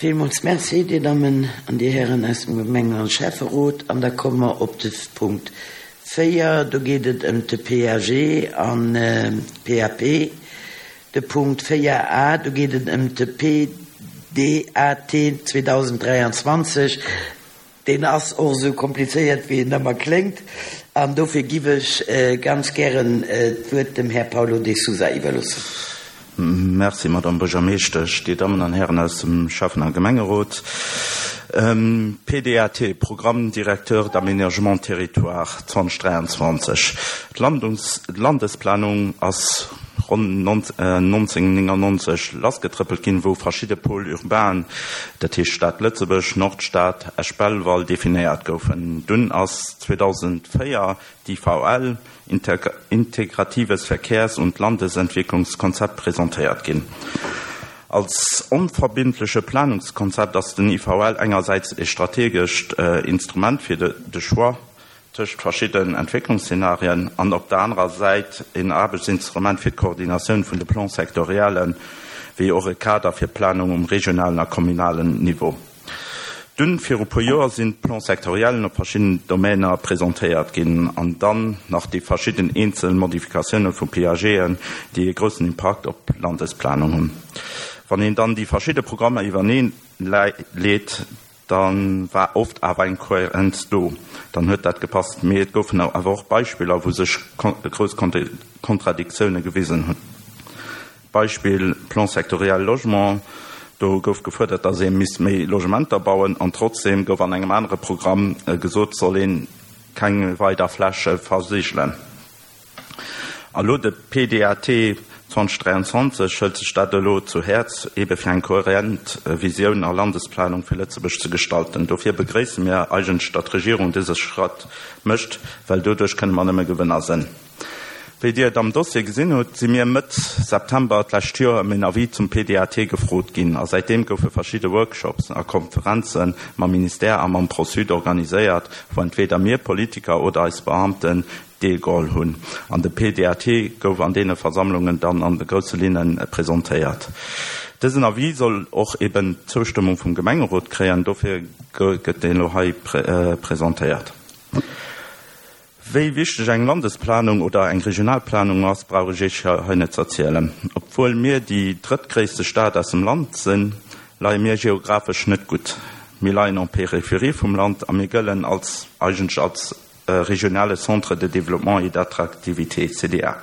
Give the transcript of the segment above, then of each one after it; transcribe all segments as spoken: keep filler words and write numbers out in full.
Villmools Merci, Dir Dammen an Dir Hären aus dem Gemengen an Schäfferot. An da komme mer op de Punkt véier. Do geet et ëm de P A G an P A P. De Punkt véier A, do geet et ëm de P D A T zweedausenddräianzwanzeg. Deen ass och esou komplizéiert, wéi en ëmmer kléngt. An dofir giff ech ganz gären d'Wuert dem Här Paulo de Sousa iwwerloossen. Merci, Madame Buergermeeschtesch, Dir Dammen an Hären aus dem Schäffen a Gemengerot. P D A T, Programme directeur d'aménagement territoire zweedausenddräianzwanzeg. D'Landesplanung ass ronn nonzénhunnertnéngannonzeg lassgetrëppelt ginn, wou verschidde Pôles urbains, dat heescht Stad Lëtzebuerg, Nordstad, Esch-Belval, definéiert goufen. Dunn ass zweedausendvéier d'I V L, Integratives Verkehrs- und Landesentwicklungskonzept, presentéiert ginn. Als onverbindleche Planungskonzept ass den I V L engersäits e strategescht Instrument fir de Choix tëscht verschiddenen Entwécklungsszenarien an op der anerer Säit en Aarbechtsinstrument fir d'Koordinatioun vun de Plans sectoriellen, wéi och e Kader fir d'Planung um regionalen a kommunalen Niveau. Dunn viru puer Joer sinn d'Plans sectoriellen op verschiddenen Domäner presentéiert ginn an dann nach déi verschidden eenzel Modifikatioune vu P A Gen, déi e groussen Impakt op d'Landesplanung hunn. Wann een dann déi verschidde Programmer iwwernee leet, da war oft awer eng Kohärenz do, dann huet dat gepasst. Mee et goufen awer och Beispiller, wou sech grouss Kontradiktioune gewisen hunn. Beispill Plan sectoriel Logement, do gouf gefuerdert, datt ee misst méi Logementer bauen, an trotzdeem gouf an engem anere Programm gesot, soll ee keng weider Fläche versigelen. A lo de P D A T zweedausenddräianzwanzeg hëlt sech dat elo zu Häerz, ebe fir eng kohärent Visioun a Landesplanung fir Lëtzebuerg ze gestalten. Dofir begréisse mir eigentlech, datt d'Regierung dëse Schratt mécht, well doduerch kënne mer nëmme Gewënner sinn. Wéi Dir et am Dossier gesinn hutt, si mir Mëtt September d'lescht Joer ëm en Avis zum P D A T gefrot ginn a säitdeem goufe verschidde Workshops a Konferenze mam Ministère a mam ProSud organiséiert, wou entweder mir Politiker oder eis Beamten deelgeholl hunn. An de P D A T gouf an deene Versammlungen dann an de grousse Linne presentéiert. Dësen Avis soll och eben d'Zoustëmmung vum Gemengerot kréien, dofir gëtt deen elo hei presentéiert. Wéi wichteg eng Landesplanung oder eng Regionalplanung ass, brauch ech Iech hei net ze erzielen. Obwuel mir déi drëttgréisste Stad aus dem Land sinn, leie mir geographesch net gutt. Mir leien en Périphérie vum Land a mir gëllen als eigentlech als regionale Centre de développement et d'attractivité, C D A.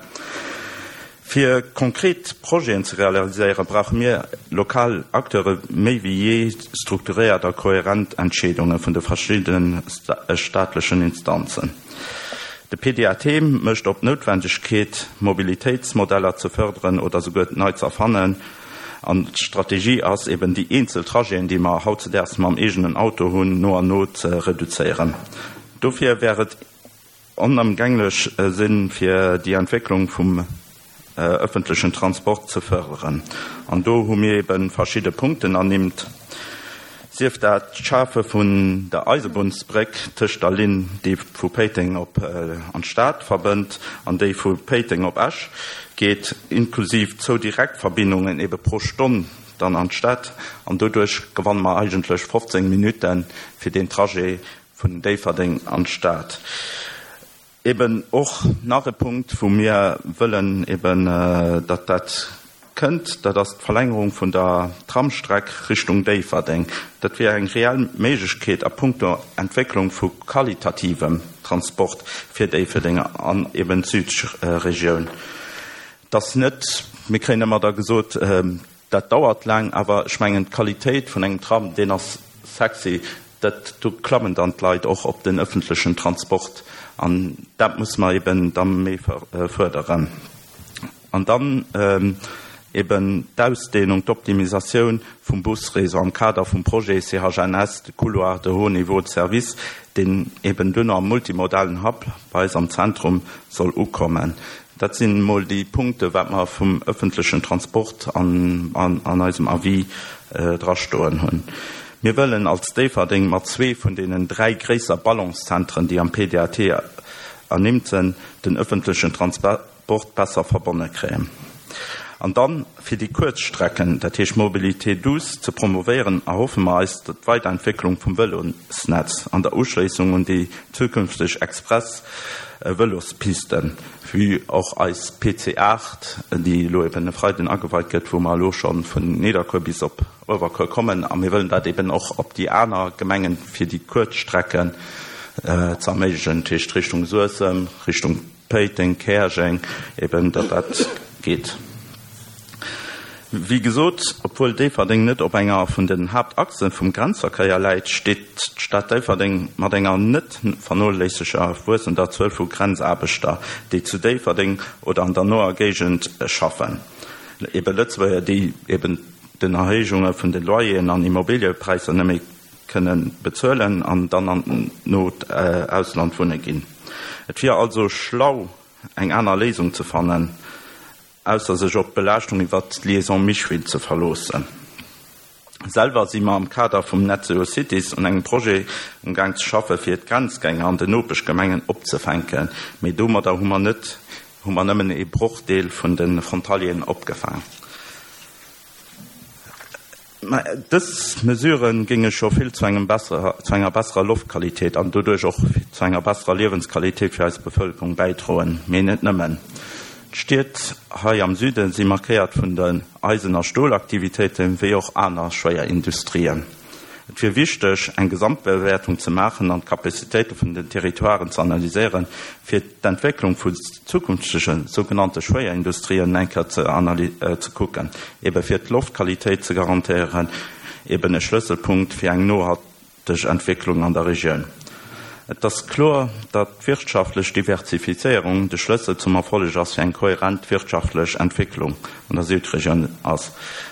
Fir konkret Projeten ze realiséieren, brauche mir lokal Acteure méi wéi jee strukturéiert a kohärent Entscheedunge vun de verschiddene staatlechen Instanzen. De P D A T mécht op d'Noutwendegkeet, Mobilitéitsmodeller ze fërderen oder souguer nei ze erfannen. An d'Strategie ass eben, déi eenzel Trajeten, déi mer hautzedaags mam eegenen Auto hunn, no an no ze reduzéieren. Dofir wär et onëmgänglech sinn, fir déi Entwécklung vum ëffentlechen Transport ze fërderen. An do hu mir eben verschidde Punkten ernimmt, sief dat d'Schafe vun der Eisebunnsbréck tëscht der Linn, déi vu Péiteng op an d'Stad verbënnt, an déi vu Péiteng op Esch geet, inklusiv zwou Direktverbindungen ebe pro Stonn dann an d'Stad. An doduerch gewanne mer eigentlech fofzéng Minutte fir deen Trajet vun Déifferdeng an d'Stad. Eben och nach e Punkt, wou mir wëllen eben, datt dat kënnt, dat ass d'Verlängerung vun der Tramstreck Richtung Déifferdeng. Dat wier eng reell Méiglechkeet a punkto Entwécklung vu qualitativem Transport fir Déifferdeng an eben d'Südregioun. Et ass net, mir kréien ëmmer da gesot, dat dauert laang, awer ech mengen, d'Qualitéit vun engem Tram, deen ass sexy, dat do klammen dann d'Leit och op den ëffentlechen Transport an dat muss mer eben da méi fërderen. An dann eben d'Ausdehnung, d'Optimisatioun vum Busréseau am Kader vum Projet C H N S, de Couloir de haut niveau de service, deen eben duerno am multimodalen Hub bei eis am Zentrum soll ukommen. Dat sinn emol déi Punkte wat mer vum ëffentlechen Transport an an eisem Avis drastoen hunn. Mir wëllen als Déifferdeng mat zwee vun deenen dräi gréisser Ballungszentren, déi am P D A T ernimmt sinn, den ëffentlechen Transport besser verbonne kréien. An dann fir déi kuerz Strecken, dat heescht Mobilité douce ze promovéieren, erhoffe mer eis d'Weiderentwécklung vum Vëlosnetz an der Uschléissung un déi zukünfteg Express-Vëlospisten, wéi och eis P C aacht, déi elo eben e Freiden ageweit gëtt, wou mer elo scho vun Nidderkuer bis op Uewerkuer kommen. A mir wëllen dat eben och op déi aner Gemengen fir déi kuerz Strecken ze erméiglechen, dat heescht Richtung Suessem, Richtung Péiteng, Käerjeng, eben datt dat geet. Wéi gesot, obwuel Déifferdeng net op enger vun den Haaptachse vum Grenzverkéier läit, steet d'Stad Déifferdeng mat enger net vernoléisseger wuessender Zuel vu Grenzaarbechter, déi zu Déifferdeng oder an der noer Géigend schaffen. Ebe Lëtzebuerger, déi eben den Erhéijunge vun de Loyeren an Immobiliëpräisser net méi kënne bezuelen an dann an d'not Ausland wunne ginn. Et wier also schlau, eng aner Léisung ze fannen, ausser sech op d'Belaaschtung iwwer d'Liaison Micheville ze verloossen. Selwer si mer am Kader vum Net Zero Cities un engem Projet um Gang ze schaffe fir d'Grenzgänger an den Nopeschgemengen opzefänken, mee domadder hu mer net, hu mer nëmmen e Brochdeel vun de Frontalieren opgefaangen. Mä dës Mesure géinge scho vill zu engem besserer, zu enger besserer Loftqualitéit an doduerch och zu enger besserer Liewensqualitéit fir eis Bevëlkerung bäidroen, mee net nëmmen. D'Stied hei am Süde si markéiert vun den Eisen- a Stolaktivitéiten, wéi och aner Schwéierindustrien. Et wier wichteg, eng Gesamtbewäertung ze maachen an d'Kapazitéite vun den Territoiren ze analyséieren, fir d'Entwécklung vu zukünftege sougenannte Schwéierindustrien eng Kéier ze analy-, ze kucken, ebe fir d'Loftqualitéit ze garantéieren, eben e Schlësselpunkt fir eng nohalteg Entwécklung an der Regioun. Et ass kloer, datt d'wirtschaftlech Diversifizéierung de Schlëssel zum Erfolleg ass fir eng kohärent wirtschaftlech Entwécklung an der Südregioun ass.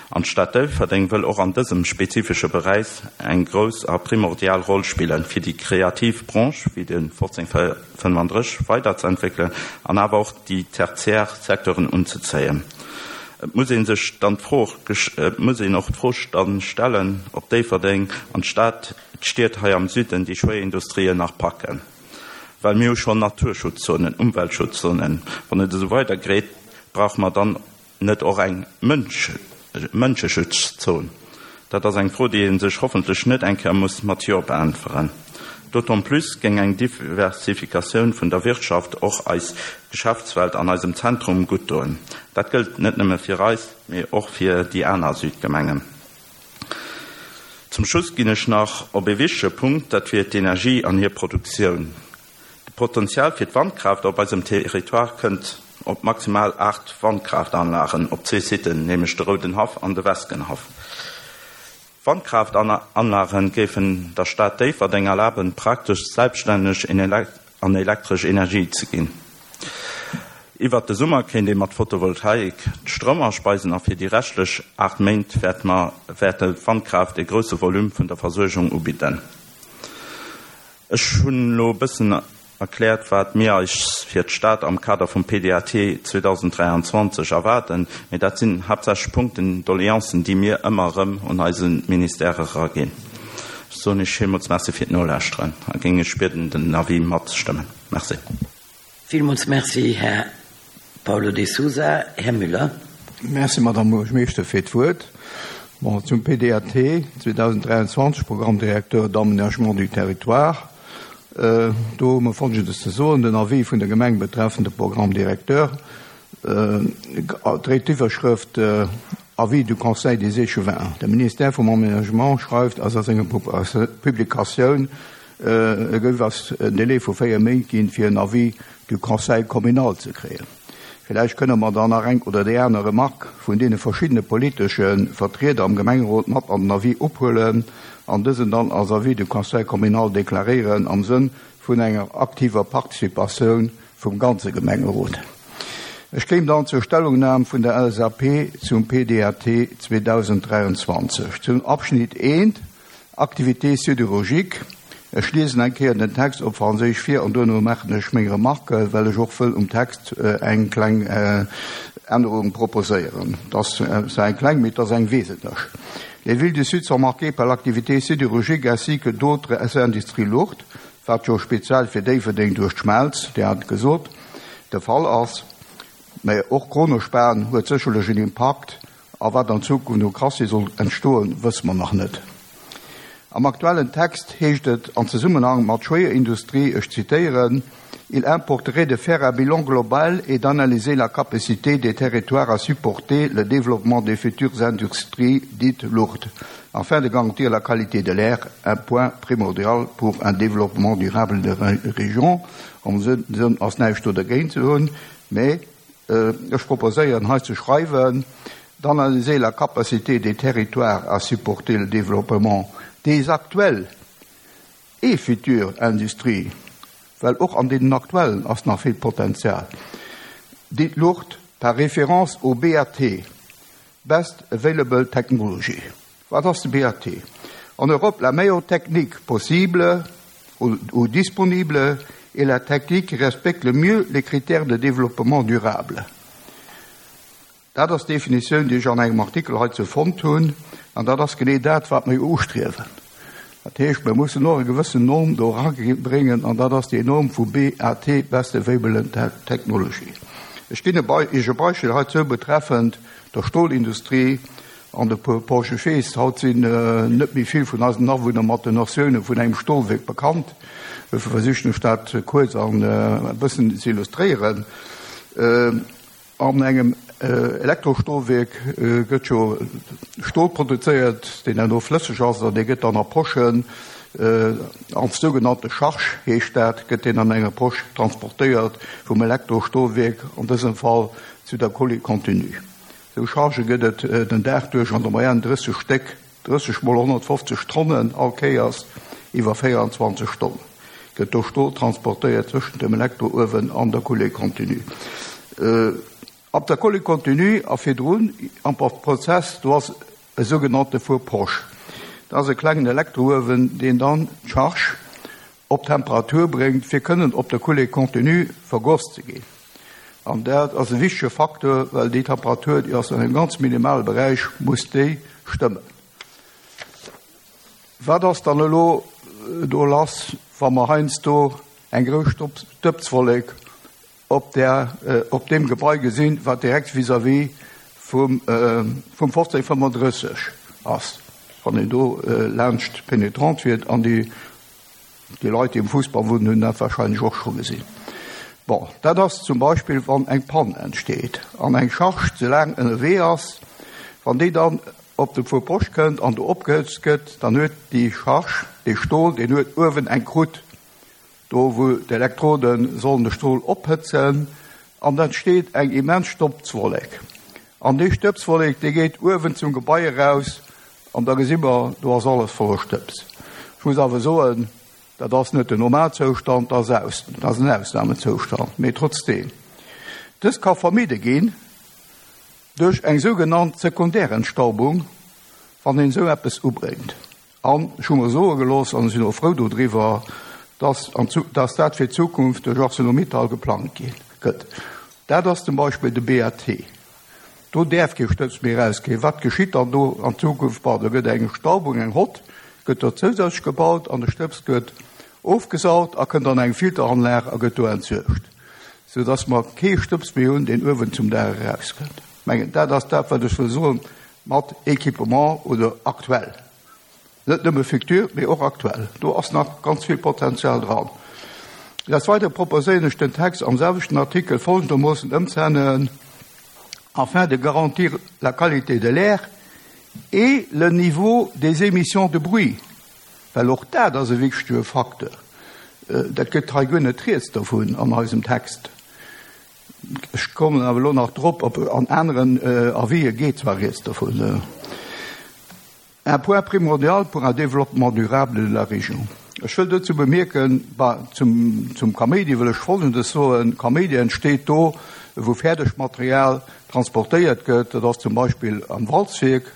An d'Stad Déifferdeng wëll och an dësem spezifesche Beräich eng grouss a primordial Roll spillen, fir déi kreativ Branche wéi de fofzéng fënnenddrësseg weiderzuentwéckelen an awer och déi tertiär Secteuren unzezéien. Et muss een sech dann d'Fro gesch-, et muss een och d'Fro dann stellen, ob Déifferdeng an d'Stad, d'Stied hei am Süden déi Schwéierindustrien nach packen. Well mir hu schonn Naturschutzzonen, Umweltschutzzonen. Wann et esou weidergeet, brauche mer dann net och eng Mënsch-, Mënscheschutzzon. Dat ass eng Fro, déi een sech hoffentlech net eng Kéier muss mat Jo beäntweren. D'autant plus géing eng Diversifikatioun vun der Wirtschaft och eis Geschäftswelt an eisem Zentrum gutt doen. Dat gëllt net nëmme fir eis, mee och fir déi aner Südgemengen. Zum Schluss ginn ech nach op e wichtege Punkt, dat wier d'Energie an hir Produktioun. De Potenzial fir d'Wandkraaft op eisem Territoire kënnt op maximal aacht Wandkraftanlagen op zwee Siten, nämlech de Roudenhaff an de Weskenhaff. Wandkraftanlagen géifen der Stad Déifferdeng erlaben, praktesch selbststänneg in elek-, an elektresch Energie ze ginn. Iwwer de Summer kéint ee mat Photovoltaik d'Stroum aspeisen a fir déi reschtlech aacht Méint wäert mer, wäert d'Wandkraaft e grousse Volume vun der Versuergung ubidden. Ech hunn elo e bëssen erkläert, wat mir eis fir d'Stad am Kader vum P D A T zweedausenddräianzwanzeg erwaarden, mee dat sinn haaptsächlech Punkten, Doleancen, déi mir ëmmer erëm un eise Ministère eraginn. Ech soen Iech villmools Merci fir d'Nolauschteren a géing Iech bieden, den Avis matzestëmmen. Merci. Villmools Merci, Här Paulo de Souza. Här Müller. Merci, Madame Buergermeeschter, fir d'Wuert. Bon, zum P D A T zweedausenddräianzwanzeg, Programme directeur d'aménagement du territoire. Äh, do hu mer Folgendes ze soen. Den Avis vun der Gemeng betreffend de Programme directeur, äh, dréit d'Iwwerschrëft, äh, Avis du Conseil des Échevins. De Ministère vum Aménagement schreift a senger Publikatioun, äh, e gouf ass en Délai vu véier Méint ginn, fir en Avis du Conseil communal ze kréien. Villäicht kënne mer dann nach eng oder déi aner Remarque vun deene verschiddene politesche Vertrieder am Gemengerot mat an den Avis ophuelen an dësen dann als Avis du Conseil communal deklaréieren am Sënn vun enger aktiver Participatioun vum ganze Gemengerot. Ech kéim dann zur Stellungnam vun der L S A P zum P D A T zweedausenddräianzwanzeg. Zum Abschnitt eent, Activité sidérurgique. Ech liesen eng Kéier den Text op Franséisch vir an duerno maachen ech meng Remarque, well ech och wëll um Text, äh, eng kleng, äh, Ännerung proposéieren. Dat ass eng kleng, mee dat ass eng wesentlech. Les villes du Sud sont marquées par l'activité sidérurgique ainsi que d'autres industries lourdes, wat jo speziell fir Déifferdeng duerch d'Schmelz, Dir hat gesot, de Fall ass. Mä och Kronospan huet sécherlech en Impakt, a wat an Zukunft u Crassier soll entstoen, wësse mer nach net. Am aktuellen Text heescht et an Zesummenhang mat Schwéierindustrie, ech zitéieren, Il importerait de faire un bilan global et d'analyser la capacité des territoires à supporter le développement des futures industries dites lourdes, afin de garantir la qualité de l'air, un point primordial pour un développement durable de la région. Am Sënn ass näischt do dergéint ze hunn, mä ech proposéieren hei ze schreiwen, d'analyser la capacité des territoires à supporter le développement des actuelles et futures industries, well och an deenen aktuellen ass nach vill Potenzial, dites lourdes par référence au B A T, Best Available Technology. Wat ass de B A T? En Europe, la meilleure technique possible ou, ou disponible est la technique qui respecte le mieux les critères de développement durable. Dat ass d'Definitioun, déi ech an engem Artikel heizou fonnt hunn, an dat ass genee dat, wat mir ustriewen. Dat heescht, mir mussen och e gewëssen Norm do erabréngen, an dat ass déi Norm vu B A T, Best Available Technology. Ech ginn Iech e Beispill heizou betreffend der Stolindustrie an de Porsche. Ech weess, haut sinn net méi vill vun eisen Awunner mat den Notioune vun engem Stolwierk bekannt. Dofir versichen ech dat kuerz an e bëssen ze illustréieren. An engem Elektrostolwierk gëtt jo Stol produzéiert, deen herno flësseg ass, an dee gëtt dann a Poschen, als sougenannte Charge heescht dat, gëtt deen an enger Posch transportéiert vum Elektrostolwierk, an dësem Fall zu der Coulée continue. Esou Chargë gëtt et den Dag duerch an der Moyenne drësseg Stéck, drësseg mol honnertfofzeg Tonnen all Kéiers iwwer véierundzwanzeg Stonnen gëtt do Stol transportéiert zwëschent dem Elektrouewen an der Coulée continue. Op der Coulée continue a virdrun am Prozess, do ass e sougenannte Four Poche. Dat ass e klengen Elektrouewen, deen dann d'Charge op Temperatur bréngt, fir kënnen op der Coulée continue vergoss ze ginn. An dat ass e wichtege Facteur, well déi Temperatur, déi ass an engem ganz minimale Beräich, muss déi stëmmen. Wat ass dann elo do lass, wa mer heiansdo eng grouss Stëbswollek op der, op deem Gebai gesinn, wat direkt vis-à-vis vum, vum fofzéng fënnefandrësseg ass, wann een do laanscht Pénétrante fiert, an déi, déi Leit, déi um Fuussbann wunnen, hunn dat wahrscheinlech och scho gesinn. Bon, dat ass zum Beispill, wann eng Panne entsteet an eng Charge ze laang ënnerwee ass, wann déi dann op de Four Poche kënnt an do opgehëtzt gëtt, dann huet déi Charge, dee Stol, deen huet uewen eng Croûte, do wou d'Elektrode sollen de Stol ophëtzen, an da entsteet eng immens Stëbswollek. An déi Stëbswollek, déi geet uewen zum Gebai eraus, an da gesi mer, do ass alles voller Stëbs. Ech muss awer soen, dat ass net den Normalzoustand, dat ass dat ass en Ausnamezoustand, mee trotzdeem. Dës ka vermidde ginn duerch eng sougenannt Sekundärentstaubung, wann een esou eppes ubréngt. An ech hu mer soe gelooss, an ech sinn och frou dodriwwer, dass, dass dat fir d'Zukunft duerch ArcelorMittal geplangt gëtt. Dat ass zum Beispill de B A T. Do däerf kee Stëbs méi erausginn. Wat geschitt dann do an Zukunft? Bon, do gëtt eng Staubung, eng Hotte, gëtt do zousätzlech gebaut an de Stëbs gëtt ofgesaugt a kënnt an eng Filteranlag a gëtt do entsuergt, soudass mer kee Stëbs méi hunn, deen uewen zum Daach erauskënnt. Mengen, dat ass dat, wat ech wëll soen mat Equipement oder aktuell. Net nëmme futur, mee och aktuell. Do ass nach ganz vill Potenzial dran. Des Weidere proposéieren ech den Text am selwechten Artikel folgendermoossen ëmzeänneren: afin de garantir la qualité de l'air et le niveau des émissions de bruit, well och dat ass e wichtege Facteur. Dat gëtt hei guer net rieds dovun an eisem Text. Ech kommen awer elo nach drop, op an aneren Avisë geet zwar rieds dovun. Un point primordial pour un développement durable de la région. Ech wëll dozou bemierken, zum, zum Kaméidi wëll ech Folgendes soen: Kaméidi entsteet do, wou fäerdegt Material transportéiert gëtt. Dat ass zum Beispill am Walzwierk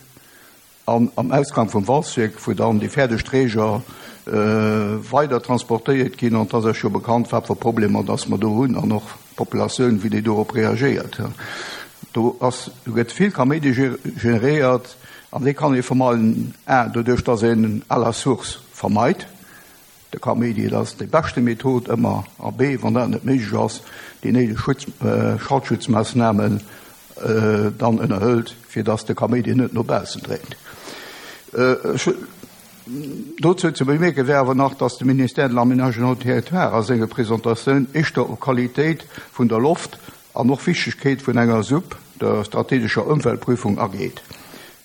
an am Ausgang vum Walzwierk, wou dann déi fäerdeg Träger weider transportéiert ginn. An et ass Iech jo bekannt, wat fir Problemer dass mer do hunn an och d'Populatioun, wéi déi dorop reagéiert. Do ass, do gëtt vill Kaméidi generéiert an dee kann ee vermeiden, un, doduerch, dass een à la source vermeit. De Kaméidi, dat ass déi beschte Method ëmmer, a B, wann dat net méiglech ass, déi néideg Schutz, äh, Schallschutzmoossnamen äh, dann ënnerhëlt, fir dass de Kaméidi net no baussen dréngt. Äh, Dozou ze bemierke wär awer nach, dass de Ministère de l'Aménagement du Territoire a senger Presentatioun éischter op Qualitéit vun der Loft an och Wichtegkeet vun enger SUP, der strategescher Ëmweltprüfung, ageet.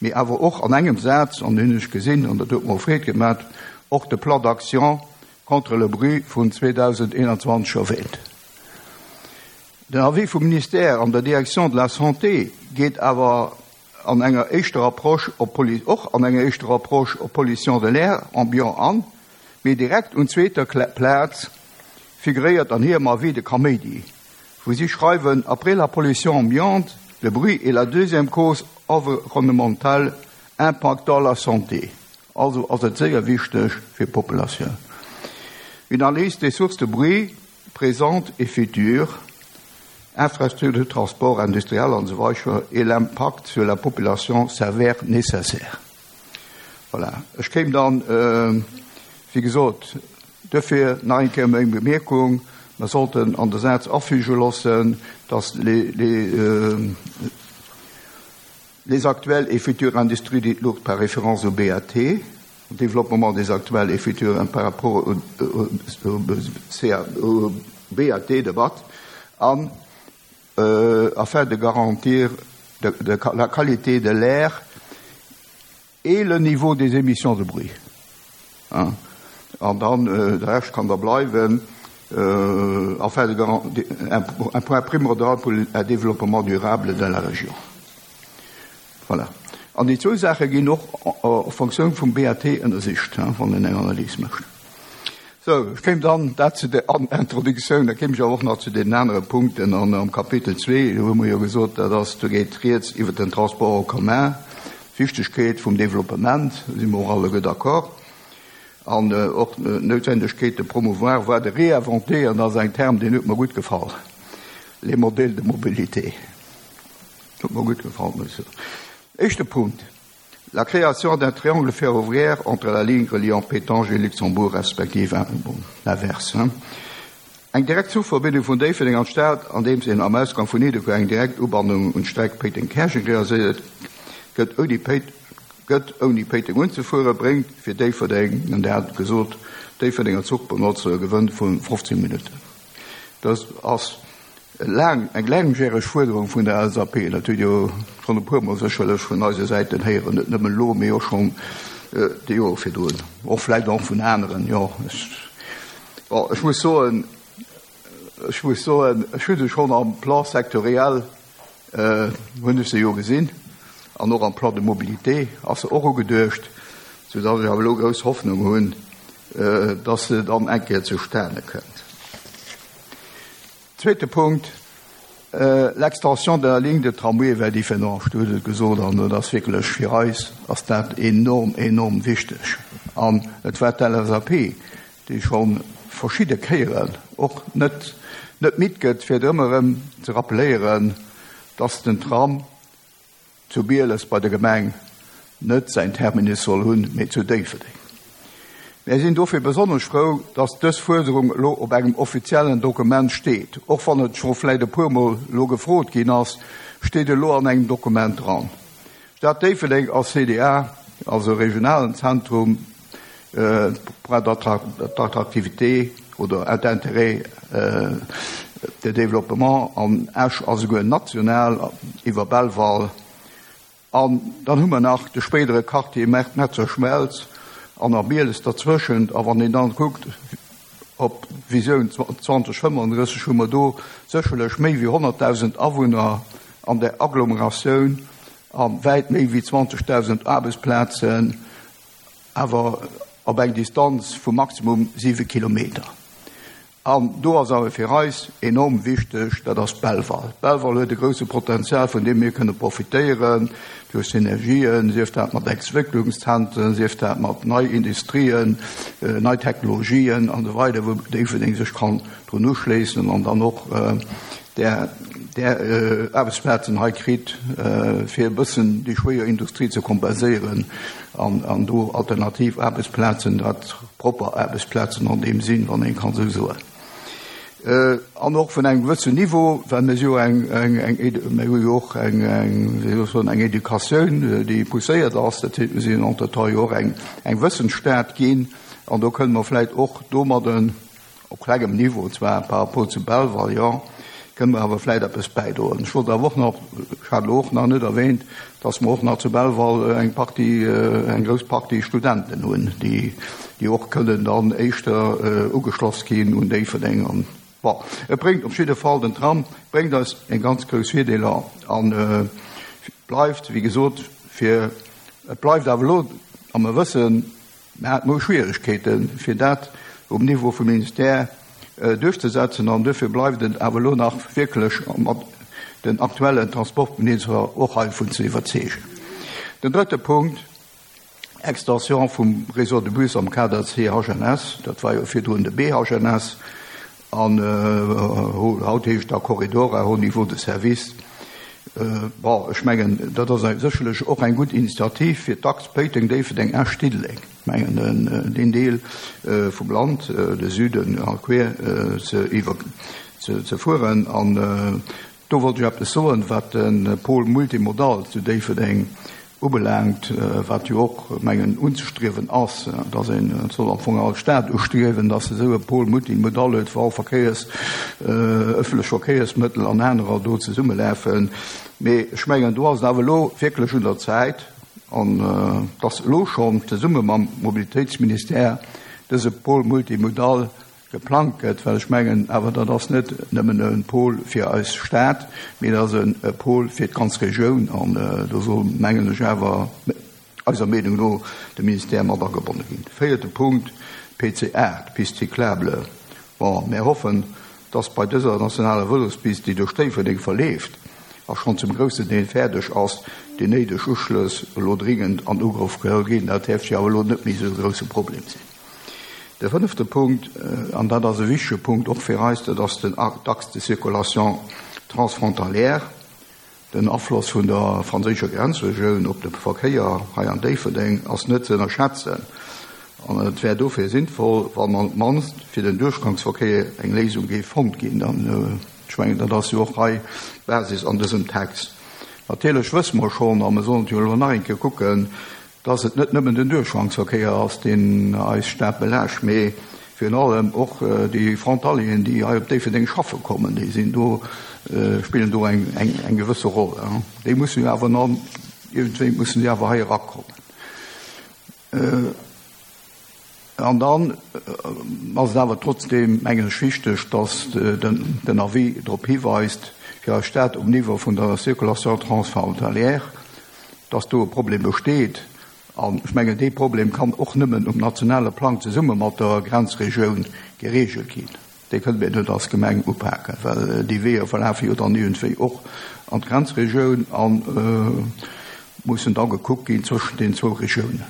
Mee awer och an engem Saz, an hunn ech gesinn, an dat huet mer Freed gemaach, och de Plan d'action contre le bruit vun zweedausendeenanzwanzeg erwähnt. Den Avis vum Ministère an der Direction de la Santé geet awer an enger éischter Approche op och an enger éischter Approche op Pollution de l'air ambiant an, mee direkt un zweeter Plaz figuréiert an hirem Avis de Kaméidi, wou si schreiwen: Après la pollution ambiante, le bruit est la deuxième cause environnementale impactant la santé. Also ass et séier wichteg fir d'Populatioun. Une analyse des sources de bruit présentes et futures, infrastructures de transport industriel an esou weider et l'impact sur la population s'avère nécessaire. Voilà. Ech kéim dann, äh, wéi gesot, dofir nach eng Kéier meng Bemierkung, mer sollten an de Saz afüge loossen, dass les, les, euh, les actuelles et futures industries dites lourdes par référence au B A T, développement des actuelles et futures par rapport au, au, au, au B A T de B A T, an euh, afin de garantir de, de, la qualité de l'air et le niveau des émissions de bruit. Hein? An dann, äh, de Rescht kann da bleiwen, euh, afin de garantir un, un point primordial pour un développement durable de la région. Voilà. An déi zwou Saache ginn och a Fonctioun vum B A T ënnersicht, wann een eng Analys mécht. So, ech kéim dann dat zu der Introduktioun, da kéim ech och nach zu den anere Punkten an am Kapitel zwee, do hu mer jo gesot, dat ass, do geet rieds iwwer den Transport en commun, d'Wichtegkeet vum Développement, si mer och alleguer d'accord, an äh, och d'Noutwendegkeet de promouvoir, voire de réinventer, an dat ass en Term, deen huet mer gutt gefall, les modèles de mobilité. Huet mer gutt gefall, muss ech soen. Éischte Punkt. La création d'un triangle ferroviaire entre la ligne reliant Pétange et Luxembourg, respektiv bon, l'inverse. Hein. Eng direkt Zuchverbindung vun Déifferdeng an d'Stad, andeems een am Ausgang vun Nidderkuer eng direkt Ubannung un d'Streck Péiteng-Käerjeng realiséiert gëtt, ouni Péit gëtt ouni Péiteng unzefueren, bréngt fir Déifferdeng, an der hat gesot, Déifferdenger Zuchbenotzer e Gewënn vu fofzéng Minutten. Dat ass laang eng laangjäreg Fuerderung vun der L S A P, dat hutt jo schonn e puermol sécherlech vun eise Säiten héieren, net nëmmen elo, mee och schonn äh, déi Joer virdrun. Och vläicht och vun aneren, jo. Ech, bon, ech muss soen, ech muss soen, ech hu se schonn am Plan sectoriel äh, hunn ech se jo gesinn, an och am Plan de mobilité ass se och ugeduecht, soudatt ech awer elo grouss Hoffnung hunn, äh, dass se dann eng Kéier zustane kënnt. Zweete Punkt, äh, l'extension de la ligne de tramway vers Differdange, du hutt et gesot, an dat ass wierklech fir eis ass dat enorm, enorm wichteg. An et war d'L S A P, déi schonn verschidde Kéieren och net net midd gëtt, fir ëmmer erëm ze rappeléieren, dass den Tram zu Bieles bei der Gemeng net säin Terminus soll hunn, mee zu Déifferdeng. Mir sinn dofir besonnesch frou, dass dës Fuerderung elo op engem offiziellen Dokument steet. Och wann et scho vläicht e puermol elo gefrot ginn ass, steet elo an engem Dokument dran. Stad Déifferdeng als C D A, also regionalen Zentrum, äh, point d'attractivité oder d'intérêt äh, de développement an Esch ass esouguer national iwwer Belval. An dann hu mer nach de spéidere Quartier Metzer-Schmelz an a Bieles derzwëschent. A wann een dann kuckt op Visioun zweedausendfënnefandrësseg, hu mer do sécherlech méi wéi honnertdausend Awunner an der Agglomeratioun a wäit méi wéi zwanzegdausend Aarbechtsplazen, awer op eng Distanz vu maximum siwe Kilometer. An do ass awer fir eis enorm wichteg, dat ass Belval. Belval huet e grousse Potenzial, vun deem mir kënne profitéieren, duerch Synergien, sief dat mat Entwécklungszentren, sief dat mat nei Industrien, äh, nei Technologien an esou weider, wou Déifferdeng sech kann drun uschléissen an dann och äh, der, där Aarbechtsplazen hei kritt, fir e bëssen déi schwéier Industrie ze kompenséieren an, an do alternativ Aarbechtsplazen, dat propper Aarbechtsplazen an deem Sinn, wann een kann esou soen. An och vun engem gewëssen Niveau, well mir si jo eng, eng, eng, mir hu jo och eng, eng, wéi soll ech soen, eng Educatioun, déi pousséiert ass, dat heescht, mir sinn entretemps jo och eng, eng Wëssensstad ginn an do kënne mer vläicht och domadden, op klengem Niveau zwar par rapport zu Belval, jo, kënne mer awer vläicht eppes bäidroen. Ech wollt awer och nach, ech hat elo och nach net erwähnt, dass mer och nach zu Belval eng Partie, eng grouss Partie Studenten hunn, déi, déi och kënnen dann éischter ugeschloss ginn un Déifferdeng. An, bon, et bréngt op jidde Fall, den Tram bréngt eis eng ganz grouss Virdeeler an bleift, wéi gesot, fir, et bleift awer elo, a mer wëssen, Mir haten elo Schwieregkeeten, fir dat um Niveau vum Ministère duerchzesetzen, an duerfir bleift et awer elo nach wierklech mat den aktuellen Transportminister och heivun ze iwwerzeegen. Den drëtte Punkt, Extension vum Réseau de bus am Kader C H N S, dat war jo virdrun de B H N S, an haut heescht da Corridor à haut niveau de service. Bon, ech mengen, dat ass sécherlech och eng gutt Initiativ fir d'Achs Péiteng, Déifferdeng, Esch, Diddeleng, ech mengen, deen Deel vum Land, de Süden a quer ze iwwer ze fueren. An do wollt ech eppes soen, wat de Pôle multimodal zu Déifferdeng ubelaangt, wat jo och, mengen, unzestriewen ass, dass een, et soll am Fong all Stad ustriewen, dass se esou e Pôle multimodal huet, wou all Verkéiers, ëffentlech Verkéiersmëttel an anerer do zesummelafen. Mee ech mengen, do ass et awer elo wierklech un der Zäit, an dass elo schonn zesumme mam Mobilitéitsministère dëse Pôle multimodal geplangt gëtt, well ech mengen awer, dat ass net nëmmen e Pôle fir eis Stad, mee dat ass e Pôle fir d'ganz Regioun, an do soll, mengen ech awer, eiser Meenung no, de Ministère mat agebonne ginn. Véierte Punkt, P C aacht, Piste cyclable. Bon, mir hoffen, dass bei dëser nationaler Vëlospist, déi duerch Déifferdeng verleeft a schonn zum groussen Deel fäerdeg ass, déi néideg Uschlëss elo dringend an Ugrëff geholl ginn. Dat däerft jo awer elo net méi esou e grousse Problem sinn. De fënnefte Punkt, an dat ass e wichtege Punkt och fir eis, dat ass den Axe de circulation transfrontalière. Den Afloss vun der franséischer Grenzregioun op de Verkéier hei an Déifferdeng ass net ze ënnerschätzen an et wär dofir sinnvoll, wann op d'mannst fir den Duerchgangsverkéier eng Léisung géif fonnt ginn. An ech mengen, dat ass jo och hei d'Basis an dësem Text. Natierlech wësse mer schonn, a mer sollen et jo elo nach eng Kéier kucken, dass et net nëmmen den Duerchgangsverkéier ass, deen eis Stad belaascht, mee virun allem och déi Frontalieren, déi hei op Déifferdeng schaffe kommen, déi sinn do, spillen do eng, eng, eng gewësse Roll. Déi mussen jo awer dann, iergendwéi mussen déi awer hei erakommen. An dann ass et awer trotzdem, mengen ech, wichteg, dass den, den Avis drop hiweist, fir eis Stad um Niveau vun der Circulation transfrontalière, dass do e Problem besteet. An ech mengen, dee Problem kann och nëmmen um nationale Plang zesumme mat der Grenzregioun geregelt ginn. Dee kënne mir net als Gemeng upaken, well déi Weeër verlafe jo dann iergendwéi och an d'Grenzregioun a mussen da gekuckt ginn zwëschen den zwou Regiounen.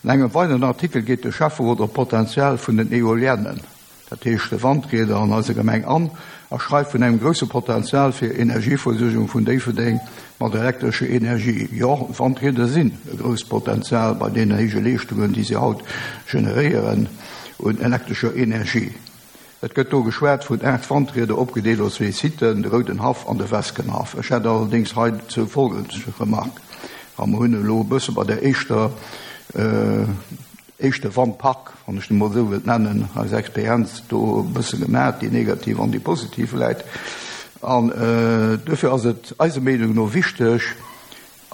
An engem weideren Artikel geet de Schäfferot op d'Potenzial vun den Eoliennen, dat heescht de Wandrieder an eiser Gemeng an a schreift vun engem grousse Potenzial fir Energieversuergung vun Déifferdeng mat elektrescher Energie. Jo, Wandrieder sinn e grousst Potenzial bei deenen héije Leeschtungen, déi se haut generéieren un elektrescher Energie. Et gëtt do geschwat vun aacht Wandrieder opgedeelt op zwee Siten, de Rouden Haff an de Weskenhaff. Ech hätt allerdéngs heizou folgend Remark, A mer hunn elo e bësse bei der éischter, éischte Wandpark, wann ech en emol esou wëllt nennen, eis Experienz do e bësse gemaach, déi negativ an déi positiv vläit. An duerfir ass et eiser Meenung no wichteg,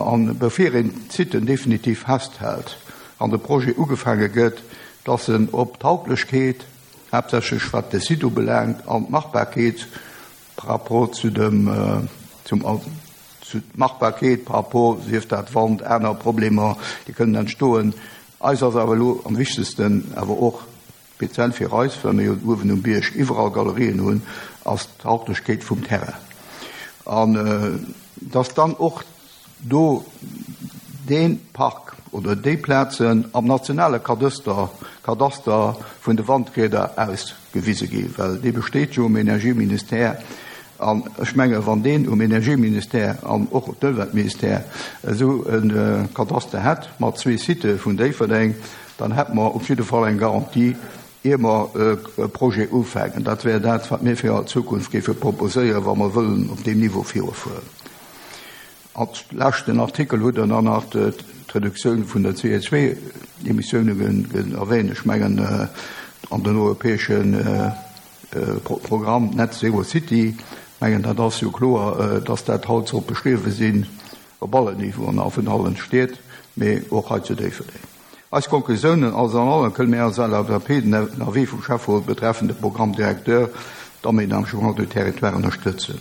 an bevir een d'Siten definitiv festhält an de Projet ugefaange gëtt, dass en op d'Tauglechkeet, haaptsächlech wat de Site ubelaangt, an d'Machbarkeet par rapport zu dem, zum, zu d'Machbarkeet par rapport, sief dat Wand, aner Problemer, déi kënnen entstoen. Eis ass awer elo am wichtegsten, awer och speziell fir eis, well mir jo uewen um Bierg iwwerall Galerien hunn, ass d'Tauglechkeet vum Terrain. An dass dann och do dee Park oder déi Plazen am nationale Kadaster, Kadaster vun de Wandrieder ausgewise ginn, well dee besteet jo um Energieministère. An ech mengen, wann deen um Energieministère an och op d'Ëmweltministère esou e Kadaster hätt mat zwee Sitë vun Déifferdeng, dann hätte mer op jidde Fall eng Garantie, ier mer e Projet ufänken. Dat wär dat, wat mir fir d'Zukunft géife proposéieren, wa mer wëllen op deem Niveau virufueren. Als leschten Artikel hutt Der dann nach d'Reduktioun vun der C O zwei Emissioune erwähnt. Ech mengen, an den europäesche Programm Net Zero City, mengen, dat ass jo kloer, dass dat haut soll beschriwwen sinn, op allen Niveauen a vun allen Stied, mee och hei zu Déifferdeng. Eis Konklusiounen alles an allem kënne mir als L S A P den Avis vum Schäfferot betreffend de Programme directeur d'aménagement du territoire ënnerstëtzen.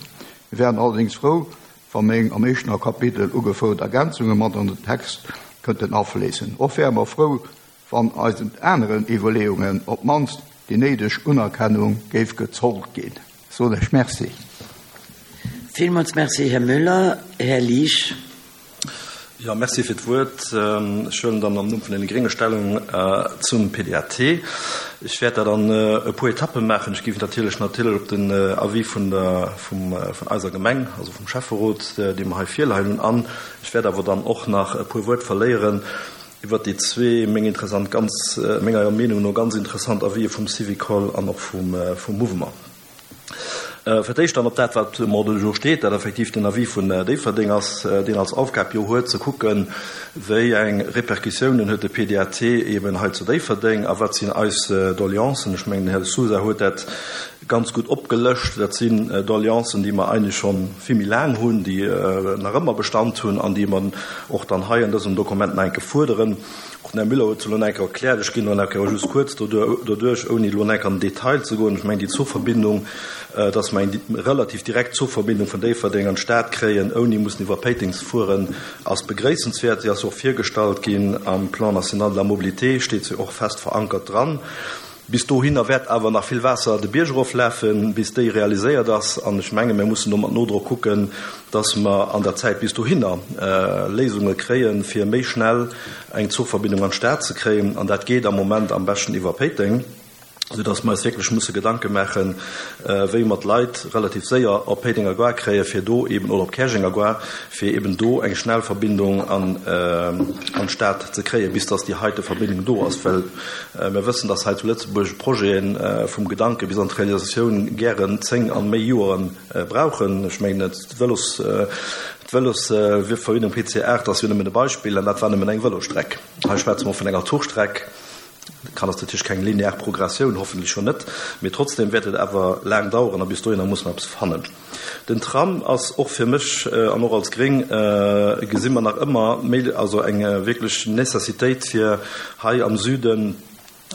Wir wären allerdings froh, wann meng am éischten Kapitel ugefouert Ergänzunge mat an den Text könnten afléissen. Och wären wir froh, wann eisen anderen Iwwerleeungen op d'mannst déi néideg Unerkennung géif gezollt ginn. So, ech merci. Villmools merci, Här Müller. Här Liesch. Ja, merci fir d'Wuert. Ech huelen dann am Numm vun den Grénge Stellung zum P D A T. Ech werd da dann e puer Etappen maachen. Ech géif natierlech natierlech op den Avis vun der, vum, vun eiser Gemeng, also vum Schäfferot, dee mer hei virleien hunn, an. Ech werd awer dann och nach e puer Wuert verléieren iwwer déi zwee meng interessant, ganz, menger Meenung no ganz interessant Avis vum Syvicol an och vum, vum Mouvement. Fir d'éischt dann op dat, wat um Ordre du jour steet, dat effektiv den Avis vun Déifferdeng ass, deen als Aufgab jo huet, ze kucken, wéi eng Repercussiounen huet de P D A T eben hei zu Déifferdeng a wat sinn eis Doleancen. Ech mengen, den Här Sousa huet dat ganz gut opgelëscht. Dat sinn Doleancen, déi mer eigentlich schon vill méi laang hunn, déi nach ëmmer Bestand hunn an déi man och dann hei an dësem Dokument nach enke fuerderen. Och den Här Müller huet lo nach enke erkläert, ech ginn lo nach enke just kurz doduerch, ouni lo nach enke an den Detail ze goen. Ech mengen, déi Zugverbindung, dass mer eng relativ direkt Zugverbindung vun Déifferdeng an d'Stad kréien, ouni mussen iwwer Péiteng ze fueren, ass begréissenswert. Sie ass och virgestallt ginn am Plan national de la mobilité, steet se och fest verankert dran. Bis dohinner wäert awer nach vill Waasser de Bierg eroflafen, bis déi realiséiert ass. An ech menge, mir mussen do mat Nodrock kucken, dass mer an der Zäit bis dohinner Léisunge kréien, fir méi schnell eng Zugverbindung an d'Stad ze kréien. An dat geet am Moment am beschten iwwer Péiteng, sodass mer eis wierklech musse Gedanke maachen, wéi mer d'Leit relativ séier op Péitenger Gare kréien, fir do eben, oder op Käerjenger Gare, fir eben do eng Schnellverbindung an, an d'Stad ze kréien, bis dass déi heite Verbindung do ass. Well mir wëssen, dass hei zu Lëtzebuerg Projeten vum Gedanke bis an d'Realisatioun gären zéng an méi Joren brauchen. Ech mengen, d'Velos, d'Velosverbindung P C acht ass jo nëmmen e Beispill, an dat war nëmmen eng Velostreck. Hei schwätze mer vun enger Zuchstreck. Kann das natürlich keine lineare Progression, hoffentlich schon nicht. Mir trotzdem wird es aber lang dauern, bis dahin muss man etwas fannen. Den Tram ist auch für mich, äh, an auch als Gring, äh, gesehen wir nach immer, mehr, also eine wirklich Necessität für hei am Süden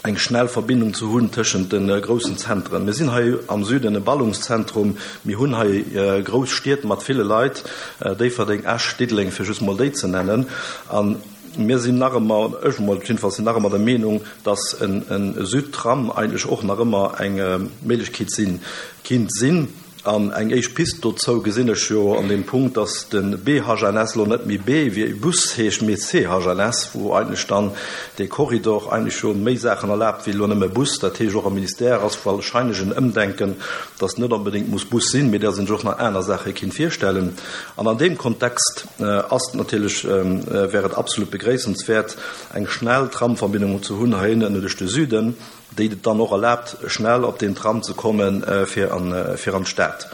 eng schnell Verbindung zu hunn tëschent den großen Zentren. Wir sind hei am Süden e Ballungszentrum, wir hunn hei äh, groß Städte mat viele Leit, äh, Déifferdeng, Esch, Diddeleng, fir just mal déi ze nennen. An mir sind nach immer, ech mal, jedenfalls sind nach immer der Meinung, dass en, en Südtram eigentlich och nach immer eng Möglichkeit sinn, kind sinn. An eng éischt Pist dozou gesinn ech jo an dem Punkt, dass den B H N S lo net méi B wie Bus heescht, mee C H N S, wo eigentlich dann de Korridor eigentlich schon méi Sachen erlaubt wie lo nëmme Bus. Dat heescht och am Ministère ass wahrscheinlich en Ëmdenken, dass net unbedingt muss Bus sinn, mee der sinn och nach aner Sache kind virstellen. An an dem Kontext, äh, ass natürlich, ähm, äh, wäre et absolut begréissenswert, eng schnell Tramverbindung zu hunn heinnen duerch de Süden, déi et dann och erlaubt, schnell op den Tram ze kommen, äh, fir an, äh, fir an d'Stad.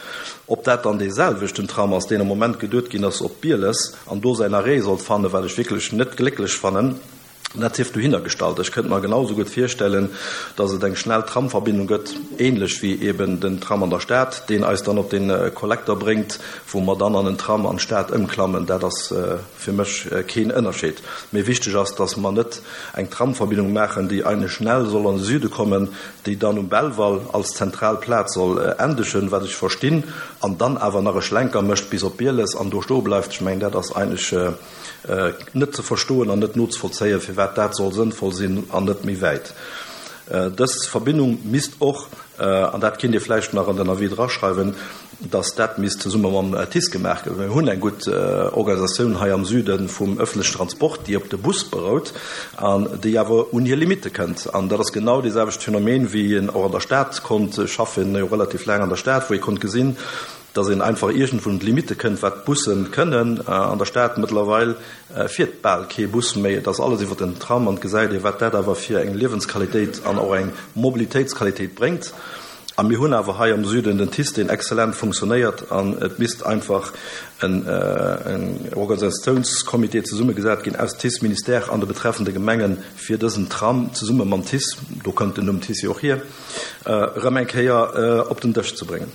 Ob dat dann deselwechten Tram ass, deen am Moment geduet ginn ass op Bieles, an do säin Arrêt sollt fannen, well ech wirklich net glécklech fannen, dat sief dohinner gestallt. Ech könnte mir genauso gut vorstellen, dass et eng schnell Tramverbindung gëtt, ähnlich wie eben den Tram an der Stadt, den eis dann op den, äh, Kollektor bringt, wo man dann an den Tram an Stadt ëmklammen. Dat ass, äh, fir mech, äh, keen Ënnerscheed. Mir wichtig ass, dass man net eng Tramverbindung machen, déi eigentlich schnell soll an den Süde kommen, déi dann um Belval als Zentralplatz soll, äh, endegen, wat ich verstinn, an dann awer nach e Schlenker mëscht bis op Bieles an do sto bleift. Ich mein, dat ass eigentlich, äh, äh, net ze verstoen an net notzuvollzéien, fir wat dat soll sinnvoll sinn an net méi wäit. Äh, dës Verbindung misst och, äh, an dat kinnt Dir vläicht nach an den Avis draschreiwen, dass dat misst zesumme mam, äh, T I S gemacht ginn. Wir hunn eng gut, äh, Organisatioun hei am Süden vum öffentlichen Transport, déi op de Bus berout an déi awer un hir Limite kënnt. An dat ass genau dieselbe Phänomen, wie een och an der Stadt konnt schaffen, jo relativ lang an der Stadt, wo ich konnt gesinn, dass een einfach iergendwou un d'Limitte kënnt, wat d'Busse kënnen. An der Stad mëttlerweil fiert bal kee Bus méi, et ass alles iwwer den Tram an et gesäit ee wat dat awer fir eng Liewensqualitéit an och eng Mobilitéitsqualitéit bréngt. A mir hunn awer hei am Süden den TICE, deen exzellent funktionéiert an et misst einfach en Organisatiounscomité zesummegesat ginn aus TICE, Ministère an de betreffende Gemengen, fir dësen Tram zesumme mam TICE, do kënnt den Numm TICE jo och hier, erëm eng Kéier op den Dësch ze bréngen.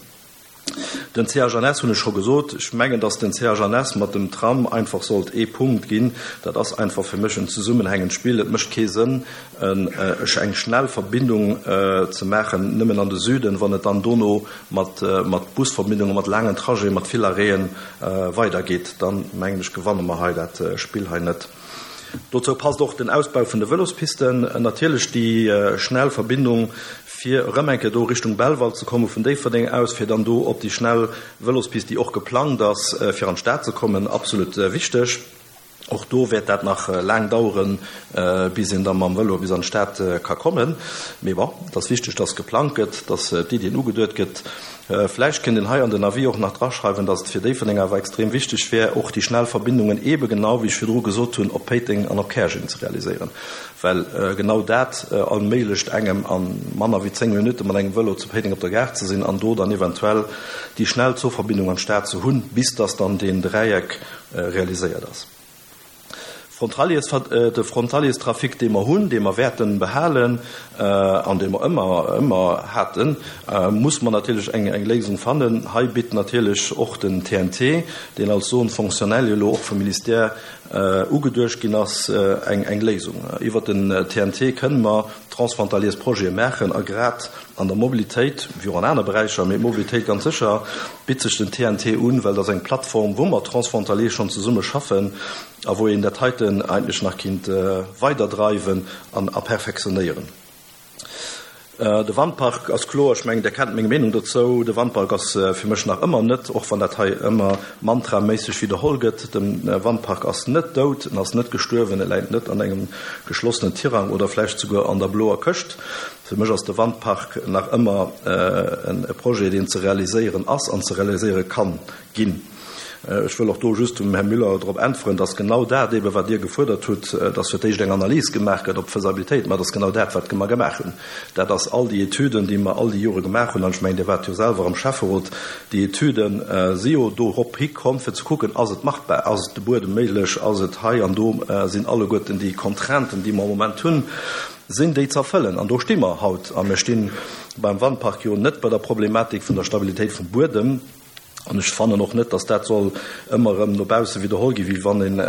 Den C H N S hunn ech scho gesot. Ech mengen, datt den C H N S mat dem Tram einfach sollt ee Punkt ginn. Dat ass einfach fir mech en zesummenhängend Spill. Et mécht kee Sënn, eng schnell Verbindung ze maachen nëmmen an de Süden, wann et dann dono mat Busverbindungen, mat laangen Trajeten, mat vill Arrêten weidergeet. Dann, mengen ech, gewanne mer hei dat Spill hei net. Dozou passt och den Ausbau vun de Vëlospisten, natierlech déi schnell Verbindung, fir erëm eng Kéier do Richtung Belval ze komme vun Déifferdeng aus, fir dann do op déi schnell Vëlospist, déi och geplangt ass, fir an d'Stad ze kommen, absolut wichteg. Och do wäert dat nach laang daueren, bis een da mam Vëlo bis an d'Stad ka kommen. Mee bon, et ass wichteg, dass geplangt gëtt, dass d'Iddien ugeduet gëtt. Vläicht kéint een hei an den Avis och nach draschreiwen, dass et fir Déifferdeng awer extrem wichteg wär, och déi schnell Verbindungen eebe genau, wéi ech virdru gesot hunn, op Péiteng an op Käerjeng ze realiséieren, well genau dat erméiglecht engem, a manner wéi zéng Minutte mat engem Vëlo zu Péiteng op der Gare ze sinn an do dann eventuell déi schnell Zuchverbindung an d'Stad ze hunn, bis dass dann deen Dräieck realiséiert ass. Frontaliers, de Frontalierstrafic, dee mer hunn, dee mer wäerte behalen an dee mer ëmmer, ëmmer haten, muss mer natierlech eng, eng Léisung fannen. Hei bitt natierlech och den T N T, deen als Zone fonctionnelle jo elo och vum Ministère ugeduecht ginn ass, eng, eng Léisung. Iwwert den T N T kënnen mer transfrontaliersprojete maachen a grad an der Mobilitéit, wéi och an aner Beräicher, mee d'Mobilitéit ganz sécher, bitt sech den T N T un, well dat ass eng Plattform, wou mer transfrontalier schonn zesumme schaffen a wou een dat heiten eigentlech nach kinnt weiderdreiwen an a perfektionéieren. De Wandpark ass kloer, ech mengen, Der kennt meng Meenung dozou, de Wandpark ass fir mech nach ëmmer net, och wann dat hei ëmmer mantraméisseg widderholl gëtt, de Wandpark ass net dout, en ass net gestuerwen, e läit net an engem geschlossenen Tirang oder vläicht souguer an der bloer Këscht. Fir mech ass de Wandpark nach ëmmer e Projet, deen ze realiséieren ass an ze realiséiere kann ginn. Ech wëll och do just dem Här Müller drop äntweren, dass genau dat eebe wat Dir gefuerdert hutt, dass fir d'éischt eng Analys gemaach gëtt op d'Faisabilitéit, mä dat ass genau dat, wat mer gemaach hunn. Dat ass all déi Etüden, déi mer all déi Jore gemaach hunn, an ech mengen, Dir waart jo selwer am Schäfferot, déi Etüden si jo dorop hikomm, fir ze kucken, ass et machbar, ass et de Buedem méiglech, ass et hei an do, sinn alleguerten déi Contrainten, déi mer am Moment hunn, sinn déi z'erfëllen. An do sti mer haut. A mir sti beim Wandpark jo net bei der Problematik vun der Stabilitéit vum Buedem. An ech fannen och net, datt dat soll ëmmer erëm no bausse widderholl ginn, wéi wann een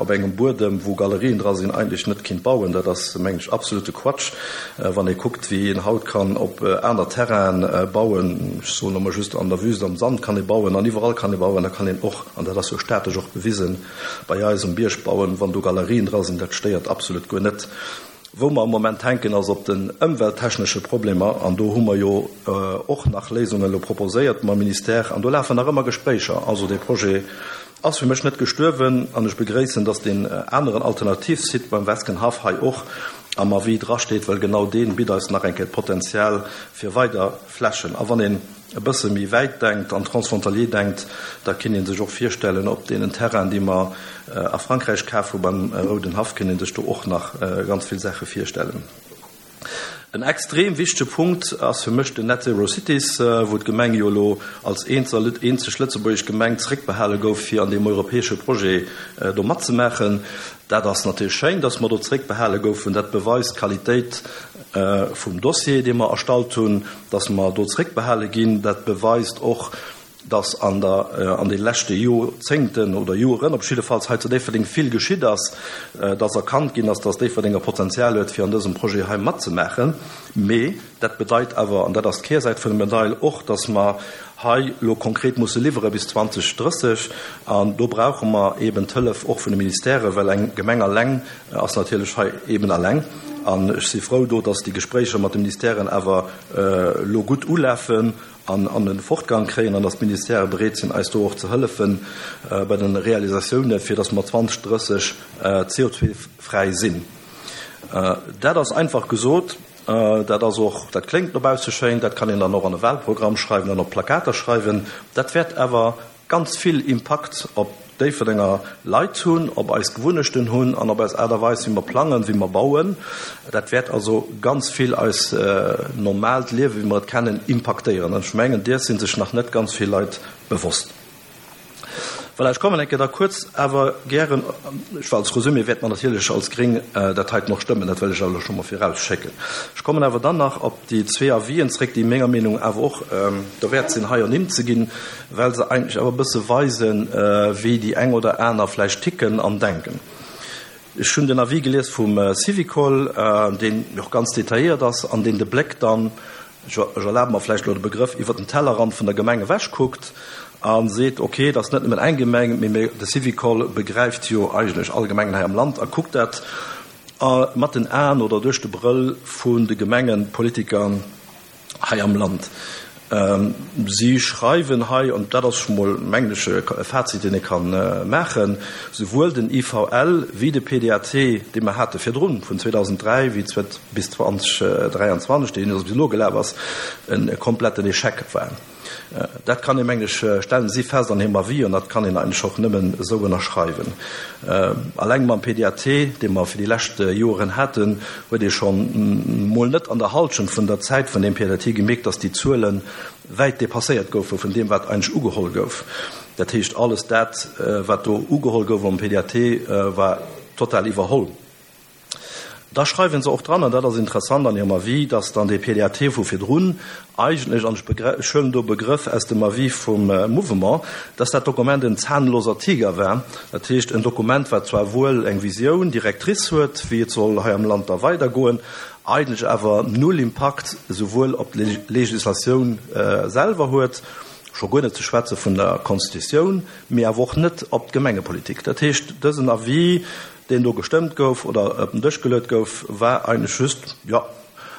op engem Buedem, wou Galerien dra sinn, eigentlech net kinnt bauen. Dat ass, mengen ech, absolute Quatsch, wann ee kuckt, wéi een haut kann op aner Terrainen bauen. Ech soen emol just, an der Wüst am Sand kann ee bauen an iwwerall kann ee bauen. Da kann een och, an dat ass jo statesch och bewisen, bei eis um Bierg bauen, wann do Galerien dra sinn. Dat stéiert absolut guer net. Wou mer am Moment hänken, ass op den ëmwelttechnesche Problemer, an do hu mer jo och nach Léisungen elo proposéiert mam Ministère, an do lafen nach ëmmer Gespréicher. Also dee Projet ass fir mech net gestuerwen, an ech begréissen, dass deen aneren Alternativsite beim Weskenhaff hei och am Avis drasteet, well genau dee bitt eis nach eng Kéier d'Potenzial fir weider Flächen. A wann een e bësse méi wäit denkt an transfrontalier denkt, da kinnt ee sech och virstellen, op deenen Terrainen, déi mer a Frankräich kaf hu beim Rouden Haff, kinnt ee sech do och nach ganz vill Saache virstellen. En extrem wichtege Punkt ass fir mech den Net Zero Cities, wou d'Gemeng jo elo als eenzeg lëtzebuergesch Gemeng zeréckbehale gouf, fir an deem europäesche Projet do matzemaachen. Dat ass natierlech schéin, dass mer do zeréckbehale goufen. Dat beweist d'Qualitéit vum Dossier, dee mer erstallt hunn, dass mer do zeréckbehale ginn. Dat beweist och, dass an der an de leschte Joerzéngten oder Joeren op jiddefalls hei zu Déifferdeng vill geschitt ass, dass erkannt ginn ass, dass Déifferdeng e Potenzial huet, fir an dësem Projet hei matzemaachen. Mee dat bedeit awer, an dat ass d'Kehrsäit vun der Medail, och, dass mer hei elo konkret musse liwwere bis zweedausendrësseg. An do brauche mer eeben d'Hëllef och vun de Ministèrë, well eng Gemeng alleng ass natierlech hei eeben alleng. An ech si frou do, dass déi Gespréicher mat de Ministèren awer elo gutt ulafen an an e Fortgang kréien an dass d'Ministèrë bereet sinn, eis do och ze hëllefen bei de Realisatiounen, fir dass mer zweedausendrësseg C O zwei fräi sinn. Dat ass einfach gesot Dat ass och, dat kléngt no bausse schéin, dat kann een dann och an e Wahlprogramm schreiwen an op Plakater schreiwen. Dat wäert awer ganz vill Impakt op Déifferdenger Leit hunn, op eis Gewunnechten hunn an op eis Aart a Weis, wéi mer plangen, wéi mer bauen. Dat wäert also ganz vill eis normaalt Liewen, wéi mer et kennen, impaktéieren. An ech mengen, deers si sech nach net ganz vill Leit bewosst. Voilà, ech kommen eng Kéier da kuerz awer gären, ech war als Resumé wäerte mer natierlech als Gréng dat heiten och stëmmen, dat wëll ech awer elo scho mol virausschécken. Ech kommen awer dann nach op déi zwee Avisen zréck, déi menger Meenung awer och derwäert sinn, hei ernimmt ze ginn, well se eigentlech awer e bësse weisen, wéi déi eng oder aner vläicht ticken an denken. Ech hunn den Avis gelies vum Syvicol, deen och ganz detailléiert ass an deen de Bléck dann, ech erlabe mer vläicht elo de Begrëff, iwwer den Tellerrand vun der Gemeng ewech kuckt a seet, okay, et ass net nëmmen eng Gemeng, mee de Syvicol begräift jo eigentlech all Gemengen hei am Land a kuckt dat mat den Aen oder duerch de Brëll vun de Gemengepolitiker hei am Land. Si schreiwen hei, an dat ass scho mol, mengen ech, e Fazit, deen ee ka maachen, souwuel den I V L wéi de P D A T, dee mer hate virdrun, vun zweedausenddräi bis zweitausenddräianzwanzeg, deen bis elo gelaf ass, e kompletten Échec war. Dat kann ee, mengen ech, stellen si fest an hirem Avis, an dat kann een eigentlech och nëmmen esou ënnerschreiwen. Alleng mam P D A T, dee mer fir déi lescht Joren haten, huet ee schonn mol net an der Halschent vun der Zäit vun deem P D A T gemierkt, dass déi Zuele wäit dépasséiert goufe vun deem, wat eigentlech ugeholl gouf. Dat heescht, alles dat, wat do ugeholl gouf am P D A T, war total iwwerholl. Da schreiwen se och dran, an dat ass interessant an hirem Avis, dass dann dee P D A T vu virdrun eigentlech, an ech huelen do Begrëff aus dem Avis vum Mouvement, dass dat Dokument en zahnloser Tiger war. Dat heescht, en Dokument, wat zwar wuel eng Visioun directrice huet, wéi et soll hei am Land da weidergoen, eigentlech awer null Impakt souwuel op d'Legislatioun selwer huet, scho guer net ze schwätze vun der Constitutioun, mee awer och net op d'Gemengepolitik. Dat heescht, dësen Avis, deen do gestëmmt gouf oder op den Dësch geluet gouf, war eigentlech just, jo,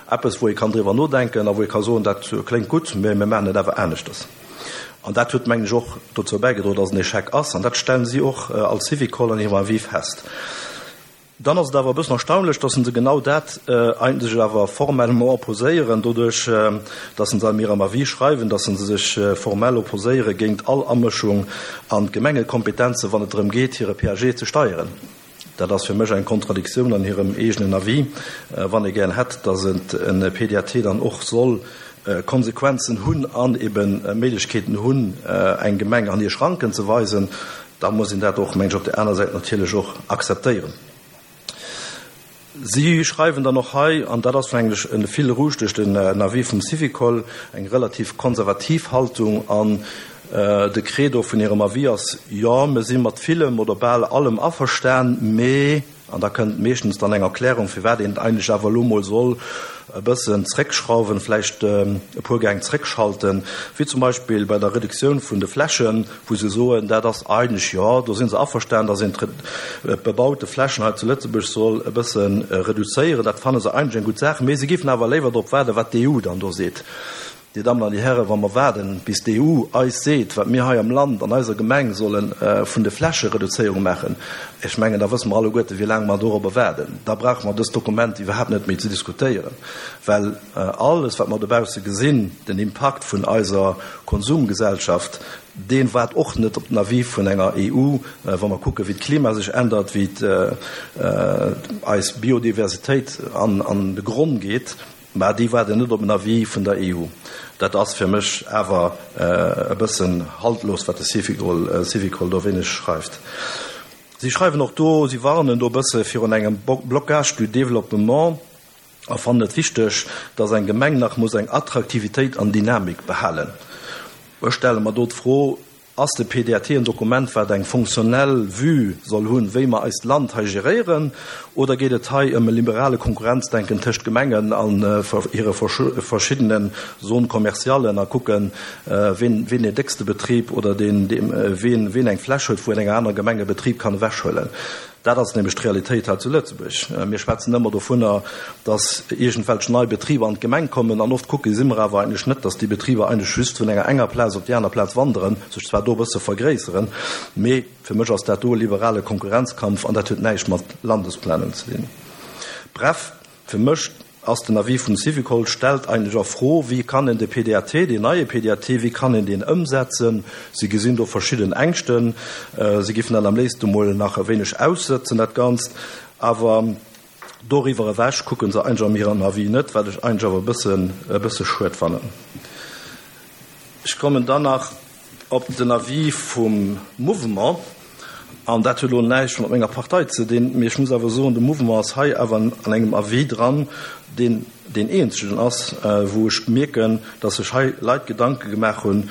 eppes, wou ee kann driwwer nodenken a wou ee ka soen, dat kléngt gutt, mä mir maachen et awer aneschters. An dat huet, mengen ech, och dozou bäigedroen, dass et en Échec ass. An dat stellen si och als Syvicol an hirem Avis fest. Dann ass et awer e bëssen erstaunlech, dass se genau dat eigentlech awer formellement opposéieren, doduerch, dass se an hirem Avis schreiwen, dass se sech formell opposéiere géint all Amëschung an d'Gemengekompetenze, wann et drëm geet, hire P A G ze steieren. Dat ass fir mech eng Kontradiktioun an hirem eegenen Avis, wann ee gär hätt, dass et en P D A T dann och soll Konsequenzen hunn an eben Méiglechkeeten hunn, eng Gemeng an hir Schranken ze weisen, da muss een dat och, mengen ech, op der aner Säit natierlech och akzeptéieren. Si schreiwen dann och hei, an dat ass mengen ech e Fil rouge duerch den Avis vum Syvicol, eng relativ konservativ Haltung an de Credo vun hirem Avis ass, jo, mir si mat villem oder bal allem averstan, mee, an da kënnt meeschtens dann eng Erklärung, firwat een eigentlech awer elo mol soll e bëssen zréckschrauwen, vläicht e puer Gäng zréckschalten, wéi zum Beispill bei der Reduktioun vun de Flächen, wou se soen, dat ass eigentlech, jo, do si se averstan, dass een d'bebaute Flächen hei zu Lëtzebuerg soll e bësse reduzéieren, dat fanne se eigentlech eng gutt Saach, mee se géifen awer léiwer drop waarden, wat d'E U dann do seet. Dir Dammen an Dir Hären, wa mer waarden, bis d'E U eis seet, wat mir hei am Land, an eiser Gemeng solle vun de Flächereduzéierung maachen, ech mengen, da wësse mer alleguerte, wéi laang mer dorobber waarden. Da brauche mer dëst Dokument iwwerhaapt net méi ze diskutéieren, well alles, wat mer dobausse gesinn, den Impakt vun eiser Konsumgesellschaft, deen waart och net op den Avis vun enger E U, wa mer kucken, wéi d'Klima sech ändert, wéi eis Biodiversitéit an, an de Gronn geet. Mä déi waarden net op en Avis vun der E U. Dat ass fir mech awer e bëssen haltlos, wat de Syvicol, Syvicol do wéineg schreift. Si schreiwen och do, si warnen do e bësse virun engem Blocage du développement a fannen et wichteg, dass eng Gemeng nach muss eng Attraktivitéit an Dynamik behalen. Ech stelle mer do d'Fro, ass de P D A T en Dokument, wat eng funktionell Vue soll hunn, wéi mer eist Land hei geréieren, oder geet et hei ëm e liberale Konkurrenzdenken tëscht Gemengen an hire verschiddenen Zones commercialen a kucken, wien, wien den déckste Betrib oder den, dem, wien, wien eng Fläch huet, wou en enger aner Gemenge Betrib kann ewechhuelen. Dat ass nämlech d'Realitéit hei zu Lëtzebuerg. Mir schwätzen ëmmer dovunner, dass irgendwelche nei Betriber an d'Gemeng kommen, an oft kucke si mer awer eigentlech net, dass déi Betriber eigentlech just vun enger enger Plaz op déi aner Plaz wanderen, sech zwar do e bësse vergréisseren, mee fir mech ass dat do e liberale Konkurrenzkampf an dat huet näischt mat Landesplanung ze dinn. Bref, fir mech ass den Avis vum Syvicol, stellt eigentlech a Fro, Wéi kann een de P D A T, deen neie P D A T, wéi kann een deen ëmsetzen? Si gesinn do verschidden Ängschten. Si géifen dat am léifste mol nach e wéineg aussëtzen, dat Ganzt. Awer doriwwer ewech kucke se eigentlech an hirem Avis net, wat ech eigentlech awer e bëssen, e bësse schued fannen. Ech kommen dann nach op den Avis vum Mouvement, an dat huet elo näischt mat menger Partei ze dinn, mee ech muss awer soen, de Mouvement ass hei awer an engem Avis dran, deen deen eenzegen ass, wou ech mierken, dass sech hei Leit Gedanke gemaach hunn,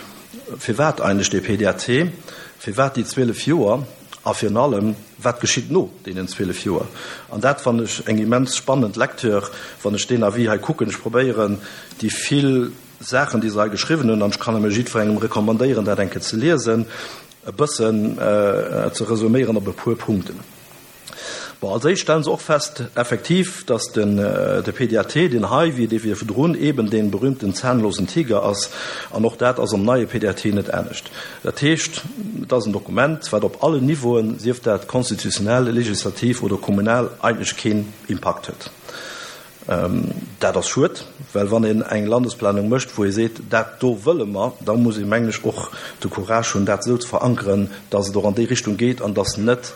firwat eigentlech dee P D A T, firwat déi zwielef Joer a virun allem, wat geschitt no deenen zwielef Joer. An dat fannen ech eng immens spannend Lecture, wann ech deen Avis hei kucken. Ech probéieren, déi vill Saachen, déi se hei geschriwwen hunn, an ech kann nëmme jiddwerengem recommandéieren, dat eng Kéier ze liesen, e bëssen ze resuméieren op e puer Punkten. Bon, als éischt stellen se och fest, effektiv, dass den, de P D A T, deen hei, wéi dee virdrun, eben dee berühmten zahnlosen Tiger ass, an och dat ass am neie P D A T net anescht. Dat heescht, et ass en Dokument, wat op allen Niveauen, sief dat konstitutionell, legislativ oder kommunal, eigentlech keen Impakt huet. Dat ass schued, well wann een eng Landesplanung mécht, wou ee seet, dat do wëlle mer, da muss ee, mengen ech, och de Courage hunn, dat esou ze verankeren, dass et och an déi Richtung geet an dass net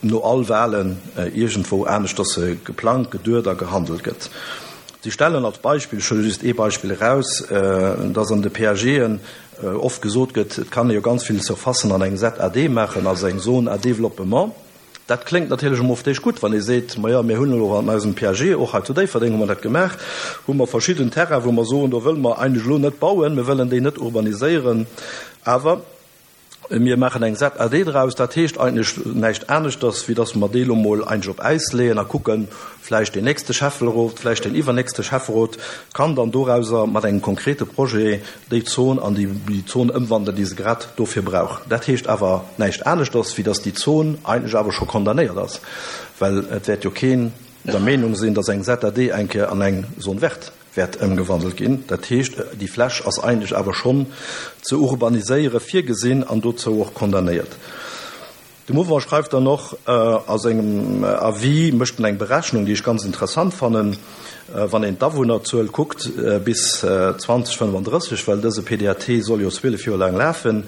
no all Wahlen iergendwou aneschters geplangt, geduet a gehandelt gëtt. Si stellen als Beispill, ech huele just ee Beispill eraus, dass an de P A G'en oft gesot gëtt, et kann ee jo ganz vill Surfacen an eng Z A D maachen, also eng Zone à développement. Dat kléngt natierlech emol op d'éischt gutt, wann ee seet, ma jo, mir hunn elo an eisem P A G, och hei zu Déifferdeng hu mer dat gemaach, hu mer verschidden Terrainen, wou mer soen, do wëlle mer eigentlech elo net bauen, mir wëllen déi net urbaniséieren, awer mir maachen eng Z A D draus. Dat heescht eigentlech näischt aneschters, wéi dass mer déi elo mol eigentlech op Äis leeën a kucken, vläicht deen nächste Schäfferot, vläicht deen iwwernächste Schäfferot kann dann dorauser mat engem konkrete Projet déi Zon an déi Zon ëmwandeln, déi se grad dofir brauch. Dat heescht awer näischt aneschters, wéi dass déi Zon eigentlech awer scho condamnéiert ass, well et wäert jo keen der Meenung sinn, dass eng Z A D eng Kéier an eng Zone verte wäert ëmgewandelt ginn. Dat heescht, déi Fläch ass eigentlech awer schonn ze urbaniséiere virgesinn an dozou och condamnéiert. De Mouvement schreift dann och a sengem Avis, mécht en eng Berechnung, déi ech ganz interessant fannen, wann een d'Awunnerzuel kuckt bis zwanzig fënnefandrësseg, well dëse P D A T soll jo zwielef Joer laang lafen,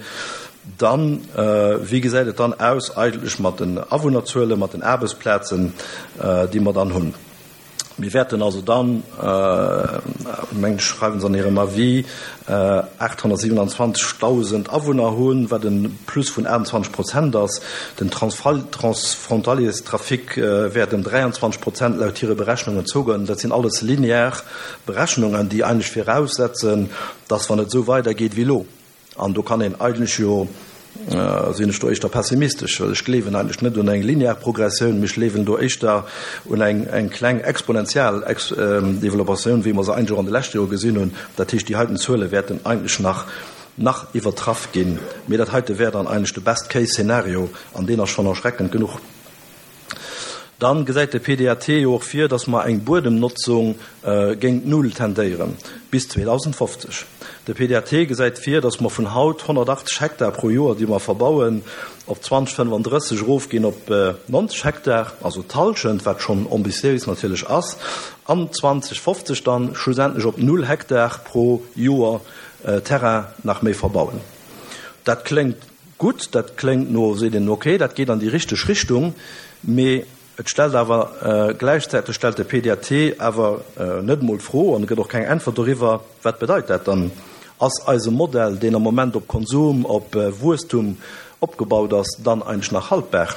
dann, wéi gesäit et dann aus eigentlech mat den Awunnerzuelen, mat den Aarbechtsplazen, déi mer dann hunn? Wir werden also dann, äh, mengen, schreiben se an hirem Avis, äh, achthonnertsiewenundzwanzigtausend Awunner hunn, wat en Plus vun achtundzwanzeg Prozent ass. Den Transfal-, Transfrontalierstrafic, äh, wäert ëm dräianzwanzeg Prozent laut hire Berechnungen zouginn. Dat sinn alles linear Berechnungen, déi eigentlech voraussetzen, dass wann et esou weidergeet wéi elo. An do kann een eigentlech jo, äh, sinn ech do éischter pessimistesch, well ech gleewen eigentlech net un eng linear Progressioun, mee ech gleewen do éischter un eng, eng kleng exponentiell Ex-, ähm, Developpatioun, wéi mer se eigentlech och an de leschte Joer gesinn hunn. Dat heescht, déi heiten Zuele wäerten eigentlech nach, nach iwwertraff ginn. Mee dat heite wär dann eigentlech de Best-Case-Szenario, an deen ass schonn erschreckend genuch. Dann gesäit de P D A T jo och vir, dass mer eng Buedemnotzung, äh, géint Null tendéieren, bis zweitausendfofzeg. De P D A T gesäit vir, dass mer vun haut honnertachtzeg Hektar pro Joer, déi mer verbauen, op zwanzig fënnefundrësseg erofginn op, äh, neunzeg Hektar, also d'Hallschent, wat schonn ambitiéis natierlech ass, an zwanzig fofzeg dann schlussendlech op null Hektar pro Joer, äh, Terrain nach méi verbauen. Dat kléngt gutt, dat kléngt no, seet een, okay, dat geet an déi richteg Richtung, mee et stellt awer, äh, gleichzeitig stellt de P D A T awer, äh, net mol d'Fro an gëtt och keng Äntwert doriwwer, wat bedeit dat dann? Ass eise Modell, deen am Moment op Konsum, op, äh, Wuesstum opgebaut ass, dann eigentlech nach haltbar,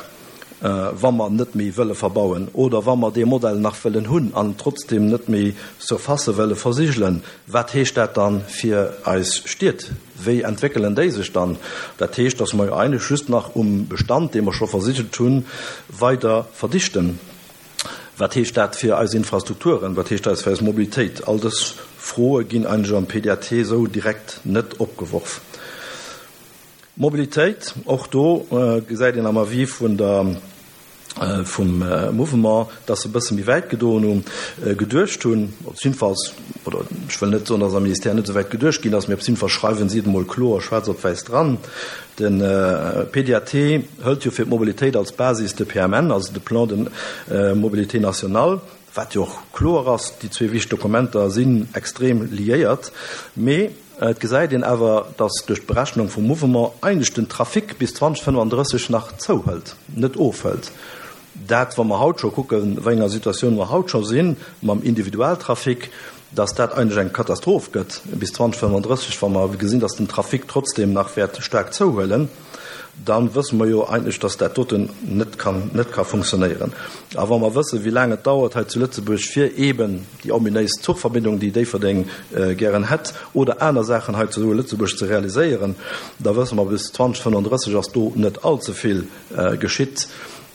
äh, wa mer net méi wëlle verbauen oder wa mer dee Modell nach wëllen hunn an trotzdem net méi Surface wëlle versigelen? Wat heescht dat dann fir eis Stied? Wéi entwéckelen déi sech dann? Dat heescht, dass mer eigentlech just nach um Bestand, dee mer scho versigelt hunn, weider verdichten. Wat heescht dat fir eis Infrastrukturen? Wat heescht dat fir eis Mobilitéit? All dës Froe ginn eigentlech am P D A T esou direkt net opgeworf. Mobilitéit, och do, äh, gesäit een am Avis vun der, äh, vum, äh, Mouvement, dass se e bësse méi wäit gedoen hunn, äh, geduecht hunn, op jedenfalls, oder ech wëll net soen, dass am Ministère net so wäit geduecht ginn ass, mee op jeden Fall schreiwen si et emol kloer schwaarz op wäiss dran. Den, äh, P D A T hëlt jo fir d'Mobilitéit als Basis de P M N, also de Plan de, äh, Mobilité Nationale, wat jo och kloer ass, déi zwee wichteg Dokumenter sinn extrem liéiert, mee et gesäit een awer, dass duerch d'Berechnung vum Mouvement eigentlech den Trafic bis zweedausendfënnefandrësseg nach zouhëlt, net ofhëlt. Dat, wa mer haut scho kucken, wéi enger Situatioun mer haut scho sinn mam Individualtrafic, dass dat eigentlech eng Katastroph gëtt bis zweedausendfënnefandrësseg, wa mer gesinn, dass den Trafic trotzdem nach wäert staark zouhuelen, da wësse mer jo eigentlech, dass dat doten net kann, net ka funktionéieren. A wa mer wëssen, wéi laang et dauert hei zu Lëtzebuerg, fir eeben déi ominéis Zuchverbindung, déi Déifferdeng gären hätt, oder aner Saachen hei zu Lëtzebuerg ze realiséieren, da wësse mer, bis zweedausendfënnefandrësseg ass do net all ze vill geschitt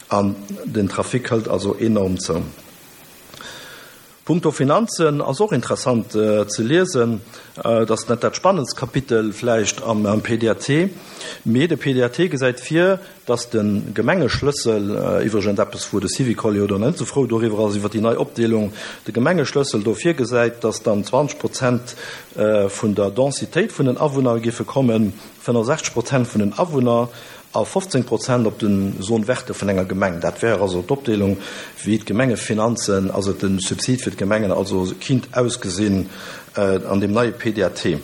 an den Trafic hëlt also enorm zou. Punkto Finanzen ass och interessant ze liesen, et ass net dat spannendst Kapitel vläicht am P D A T, mee de P D A T gesäit vir, dass de Gemengeschlëssel, iwwregens eppes wou de Syvicol jo dann net esou frou doriwwer ass iwwer déi nei Opdeelung, de Gemengeschlëssel do virgesäit, dass dann zwanzeg Prozent vun der Densitéit vun den Awunner géife kommen, fënnefensechzeg Prozent vun den Awunner a fofzéng Prozent op den Zone verte vun enger Gemeng. Dat wär also d'Opdeelung, wéi d'Gemengefinanzen, also de Subsid fir d'Gemengen also kinnt ausgesinn an deem neie P D A T.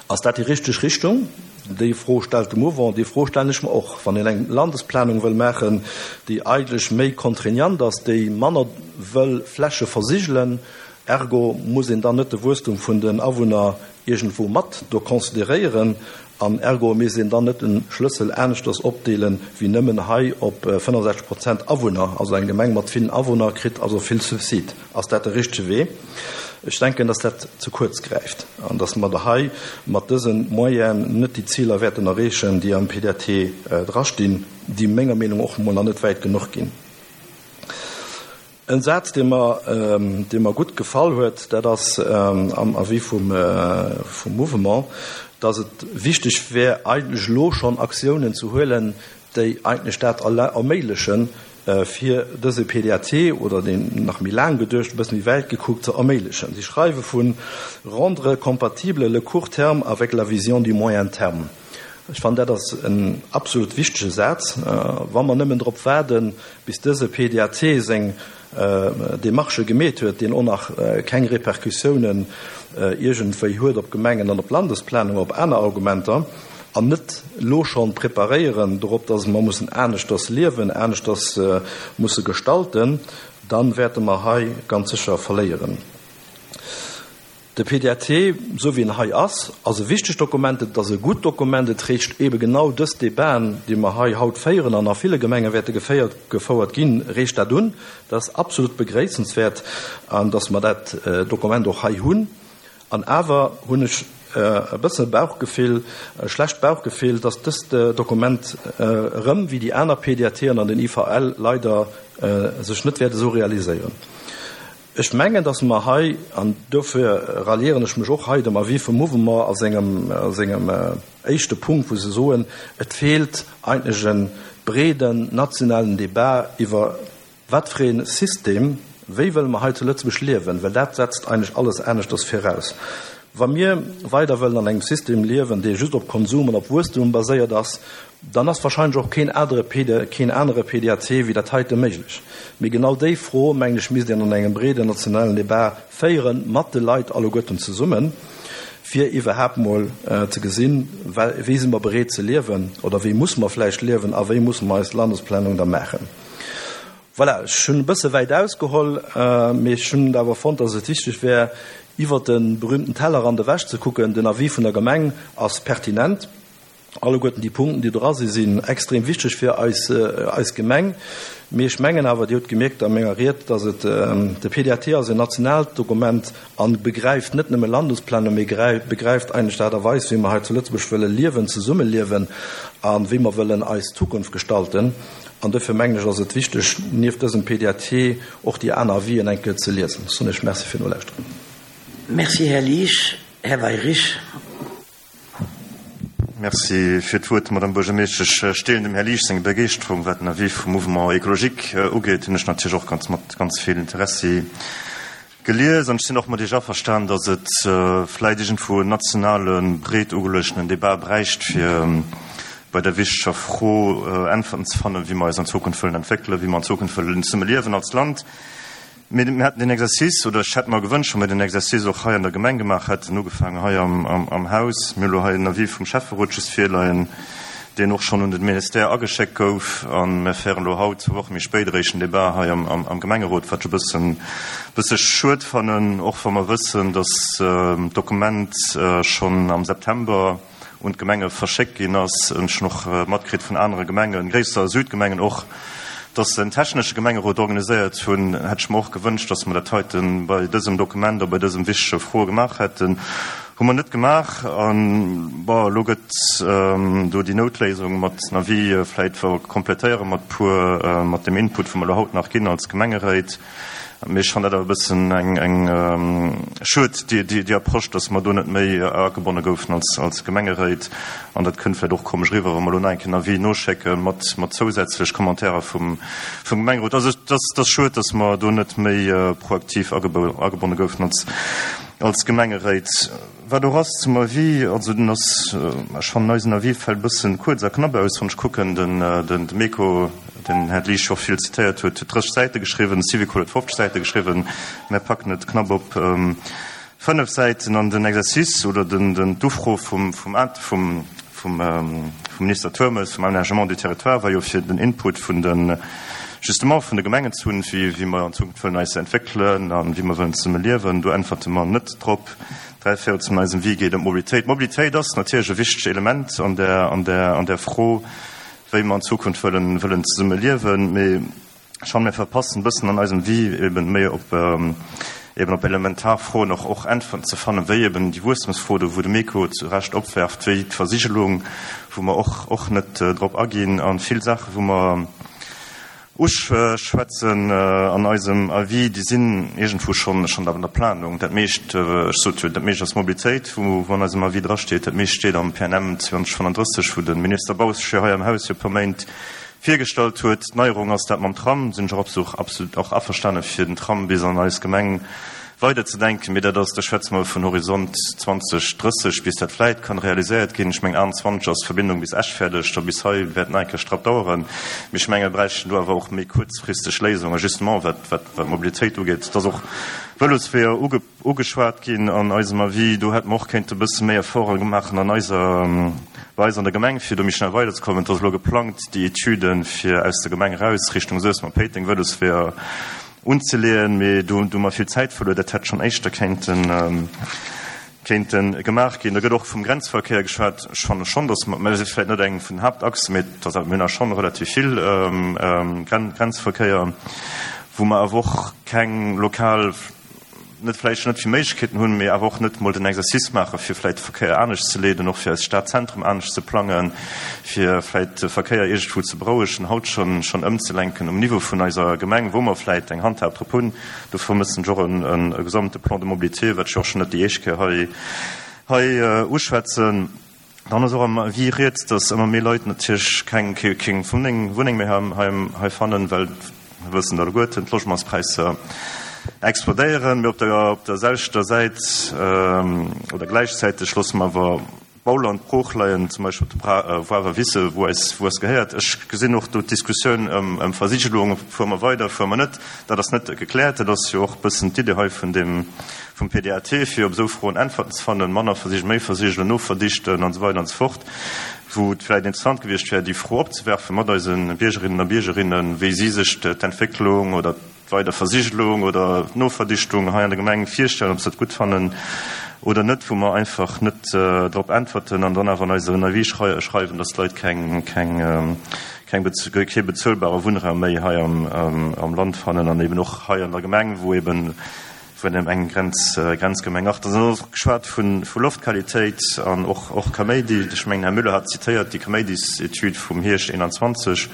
Ass dat déi richteg Richtung? Déi Fro stellt de Mouvement, déi Fro stellen ech mer och. Wann een eng Landesplanung wëll maachen, déi eigentlech méi contraignant ass, déi manner wëll Fläche versigelen, ergo muss een dann net de Wuesstum vun den Awunner iergendwou mat do consideréieren an ergo misst een dann net de Schlëssel aneschters opdeelen, wéi nëmmen hei op fënnefensechzeg Prozent Awunner, also eng Gemeng mat villen Awunner kritt also vill Subsid. Ass dat de richtege Wee? Ech denken, dass dat ze kuerz gräift an dass mer da hei mat dëse Moyenen net déi Ziler wäerten erreechen, déi am P D A T drastinn, déi menger Meenung och emol nach net wäit genuch ginn. En Saz, dee mer, dee mer gutt gefall huet, dat ass am Avis vum, vum Mouvement, dass et wichteg wär, eigentlech elo schonn Aktiounen ze huelen, déi eigentlech dat erméiglechen, fir dëse P D A T oder deen nach méi laang geduecht, e bësse méi wäit gekuckt, ze erméiglechen. Si schreiwe vu rendre compatible le court terme avec la vision du moyen terme. Ech fannen, dat ass en absolut wichtege Saz. Wa mer nëmmen drop waarden, bis dëse P D A T seng Demarchë gemeet huet, deen och nach keng Repercussiounen iergendwéi huet op Gemengen an op Landesplanung, op aner Argumenter, an net elo schonn preparéieren dorop, dass mer mussen aneschters liewen, aneschters musse gestalten, dann wäerte mer hei ganz sécher verléieren. De P D A T, esou wéi en hei ass, ass e wichtegt Dokument, et ass e gutt Dokument, et reegt eebe genau dës Debaten, déi mer hei haut féieren an a ville Gemenge wäerte geféiert, gefouert ginn, reegt dat un. Dat ass absolut begréissenswäert, an dass mer dat Dokument och hei hunn. An awer hunn ech e bësse Bauchgefill, e schlecht Bauchgefill, dass dëst Dokument erëm, wéi déi aner P D A Ten an den I V L, leider sech net wäert esou realiséieren. Ech mengen, dass mer hei, an dofir ralliéieren ech mech och hei dem Avis vum Mouvement a sengem, a sengem éischte Punkt, wou se soen, et feelt eigentlech e breeden nationalen Débat iwwer wat fir ee System, wéi wëlle mer hei zu Lëtzebuerg liewen, well dat setzt eigentlech alles aneschters viraus. Wa mir weider wëllen an engem System liewen, dee just op Konsum an op Wuesstum baséiert ass, dann ass wahrscheinlech och keen anere P D, keen anere P D A T wéi dat heite méiglech. Mee genau déi Fro, mengen ech, misst een an engem breeden nationalen Debat féieren, mat de Leit alleguerten zesummen, fir iwwerhaapt mol ze gesinn, wéi si mer bereet ze liewen oder wéi musse mer vläicht liewen a wéi musse mer eis Landesplanung da maachen. Voilà, ech hunn e bësse wäit ausgeholl, mee ech hunn awer fonnt, dass et wichteg wär, iwwert de berühmten Tellerrand ewech ze kucken. Den Avis vun der Gemeng ass pertinent. Alleguerten déi Punkten, déi dra sinn, sinn extrem wichteg fir eis, eis Gemeng. Mee ech mengen awer, Dir hutt gemierkt a menger Ried, dass et, de P D A T ass en nationaalt Dokument a begräift net nëmme Landesplanung, mee begräift eigentlech d'Aart a Weis, wéi mer hei zu Lëtzebuerg wëlle liewen, zesummeliewen a wéi mer wëllen eis Zukunft gestalten. An dofir mengen ech, ass et wichteg, nieft dësem P D A T och déi aner Avisen eng Kéier ze liesen. Ech soen Iech Merci fir d'Nolauschteren. Merci, Här Liesch. Här Weyrich. Merci fir d'Wuert, Madame Buergermeeschtesch. Ech deelen dem Här Liesch seng Begeeschterung, wat den Avis vum Mouvement Écologique ugeet. Hunn ech natierlech och ganz mat ganz vill Interessi gelies. An ech sinn och mat Iech averstan, datt et vläit iergendwou en nationale breet ugeluechtenen Debat bräicht, fir bei der wichteger Fro Äntwerten ze fannen, wéi mer eis an Zukunft wëllen entwéckelen, wéi mer an Zukunft wëllen zesumme liewen als Land. Mir hätten den Exercice, oder ech hätt mer gewënscht, wa mir den Exercice och hei an der Gemeng gemaach hätten, ugefaangen hei am, am, am Haus. Mir hu lo hei en Avis vum Schäfferot just virleien, deen och schonn un den Ministère ageschéckt gouf. A mir féieren elo haut, zwou Woche méi spéit, eréischt en Debat hei am, am, am Gemengerot, wat ech e bëssen, bësse schued fannen, och wa mer wëssen, dass d'Dokument schonn am September un d'Gemenge verschéckt ginn ass. Ech hunn och matkritt vun anere Gemengen, gréisser Südgemengen och, dass se en technesche Gemengerot organiséiert hunn, hätt ech mer och gewënscht, dass mer dat heite bei dësem Dokument a bei dësem wichtege Froe gemaach hätten. Hu mer net gemaach. An, bon, elo gëtt do déi Noutléisung mat den Avis vläicht komplettéiere mat puer, mat dem Input, wou mer elo haut nach ginn als Gemengeréit. Mee ech fannen dat awer e bëssen eng, eng schued, déi, déi, déi Approche, dass mer do net méi agebonne goufen als, als Gemengeréit. An dat kënnt vläicht och komesch eriwwer, wa mer elo nach eng Kéier en Avis noschécke mat, mat zousätzlech Commentairen vum, vum Gemengerot. Also et ass, et ass schued, dass mer do net méi proaktiv agebonne goufen als, als Gemengeréit. Wat och ass zum Avis, also den ass, ech fannen eisen Avis fält e bëssen kuerz a knapp aus, wann ech kucken, den, den, de Meco, den Här Liesch och vill zitéiert huet, huet drësseg Säite geschriwwen, de Syvicol huet fofzeg Säite geschriwwen, mär packen et knapp op fënnef Säiten. An den Exercice oder den, den, d'Ufro vum, vum, vum, vum, vum Minister Turmes vum Aménagement du Territoire war jo fir den Input vun den, justement vun de Gemengen ze hunn, wéi, wéi mer an Zukunft wëllen eis entwéckelen an wéi mer wëllen zesumme liewen. Do äntwerte mer net drop. Dräi Véirels vun eisem Avis geet ëm d'Mobilitéit. D'Mobilitéit ass natierlech e wichtegt Element an der, an der, an der Fro, wéi mer an Zukunft wëllen, wëllen zesumme liewen. Mee ech fannen, mir verpassen e bëssen an eisem Avis eben méi op, eben op elementar Froen och, och Äntwerten ze fannen, wéi eben déi Wuesstemsfro do, wou de Meco zu Recht opwerft, wéi d'Versigelung, wou mer och, och net drop aginn, a vill Saachen, wou mer uschwätzen an eisem Avis, déi sinn iergendwou schonn, schonn an der Planung. Dat meescht, ech sot jo, dat meescht ass Mobilitéit, wou, wou an eisem Avis drasteet. Dat meescht steet am P N M zweihundertfünfunddrësseg, wou de Minister Bausch jo hei am Haus jo e puer Méint virgestallt huet. D'Neierung ass dat mam Tram, sinn ech och absolut, absolut och averstane fir den Tram bis an eis Gemeng weiderzedenken. Mee dat ass, da schwätze mer vun Horizont zwanzeg drësseg, bis dat vläit kann realiséiert ginn. Ech mengen, achtenzwanzeg ass d'Verbindung bis Esch fäerdeg, da bis hei wäert nach eng Kéier strapp daueren. Mee ech menge, mir bräichten do awer och méi kuerzfristeg Léisungen, justement wat, wat, wat d'Mobilitéit ugeet. Et ass och Vëlosweeër uge-, ugeschwat ginn an eisem Avis. Do hätte mer och kéinte e bësse méi Efforte maachen an eiser, bei eis an der Gemeng, fir do méi schnell weiderzekommen. Et ass elo geplangt, déi Etüden fir aus der Gemeng eraus Richtung Suessem a Péiteng Vëlosweeër unzeleeën, mee do, do mer vill Zäit verluer, dat hätt schonn éischter kéinten, kéinten gemaach ginn. Da gëtt och vum Grenzverkéier geschwat. Ech fanne schonn, dass mer, mä dat ass vläicht net eng vun den Haaptachsen, mee dat ass, mir hunn schonn relativ vill, ähm, Gren-, Grenzverkéier, wou mer awer och keng lokal, net vläicht net vill Méiglechkeeten hunn, mee awer och net mol den Exercice maachen, fir vläicht de Verkéier anescht ze leeden, och fir eist Stadzentrum anescht ze plangen, fir vläicht de Verkéier iergendwou ze berouegen, haut schonn, schonn ëmzelenken um Niveau vun eiser Gemeng, wou mer vläicht eng Handhab drop hunn. Do vermëssen ech och en, en, e gesamte Plan de mobilité, wat ech och schonn net déi éischt Kéier hei, hei, äh, uschwätzen. Dann ass och am Avis rieds, dass ëmmer méi Leit natierlech keng, keng, keng Wunneng, Wunneng méi hei, hei, hei fannen, well wir wëssen dat alleguerten, d'Logementspräisser explodéieren. Mee op der, op der selwechter Säit, ähm, oder gläichzäiteg loosse mer awer Bauland brooch leien, zum Beispill op de Bra-, äh, Woawer Wisse, wou eis, wou eis gehéiert. Ech gesinn och do d'Diskussioun ëm, ëm Versigelung, fuere mer weider, fuere mer net. Dat ass net gekläert. Dat ass jo och e bëssen d'Idee hei vun dem, vum P D A T, fir op esou Froen Äntwerten ze fannen, manner versigeln, méi versigeln, noverdichten an esou weider an esou fort. Wou et vläicht interessant gewiescht wär, déi Fro opzewerfen mat eisen Biergerinnen a Biergerinnen, wéi si sech d'Entwécklung oder d'Weiderversigelung oder d'Noverdichtung hei an der Gemeng virstellen, ob se dat gutt fannen oder net, wou mer einfach net, äh, drop äntwerten an dann awer an eisem Avis schrei-, schreiwen, dass d'Leit keng, keng, ähm, keng bez-, kee bezuelbare Wunnraum méi hei am, am, am Land fannen an eben och hei an der Gemeng, wou eben vun dem engen Grenz, äh, Grenzgemeng. Ach, da ass och geschwat vun, vu Loftqualitéit an och, och Kaméidi. Ech mengen, Herr Müller hat zitéiert déi Kaméidis-Etüd vum Hierscht einundzwanzeg,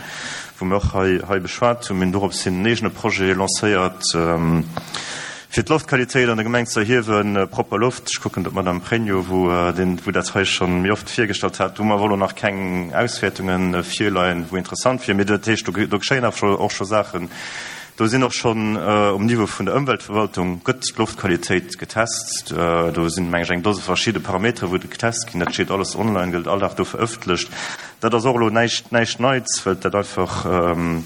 wou mir och hei, hei beschwat hunn. Mir hunn dorops hin en eegene Projet lancéiert, ähm, fir d'Loftqualitéit an der Gemeng ze erhiewen, äh, propper Loft. Ech kucken, datt Madame Pregno, wou, äh, den, wou dat hei schon méi oft virgestallt hat, wo mer wohl nach keng Auswäertungen, äh, virleien, wou interessant fir. Mee dat heescht, do, do geschéien awer scho, och scho Saachen. Do sinn och schon, äh, um Niveau vun der Ëmweltverwaltung gëtt d'Loftqualitéit getest. Äh, do sinn, meng ech, eng Dose verschiedene Parametere, wou getest ginn. Dat steet alles online, gëtt all Dag do verëffentlecht. Dat ass och elo näischt, näischt Neits, well dat einfach, ähm,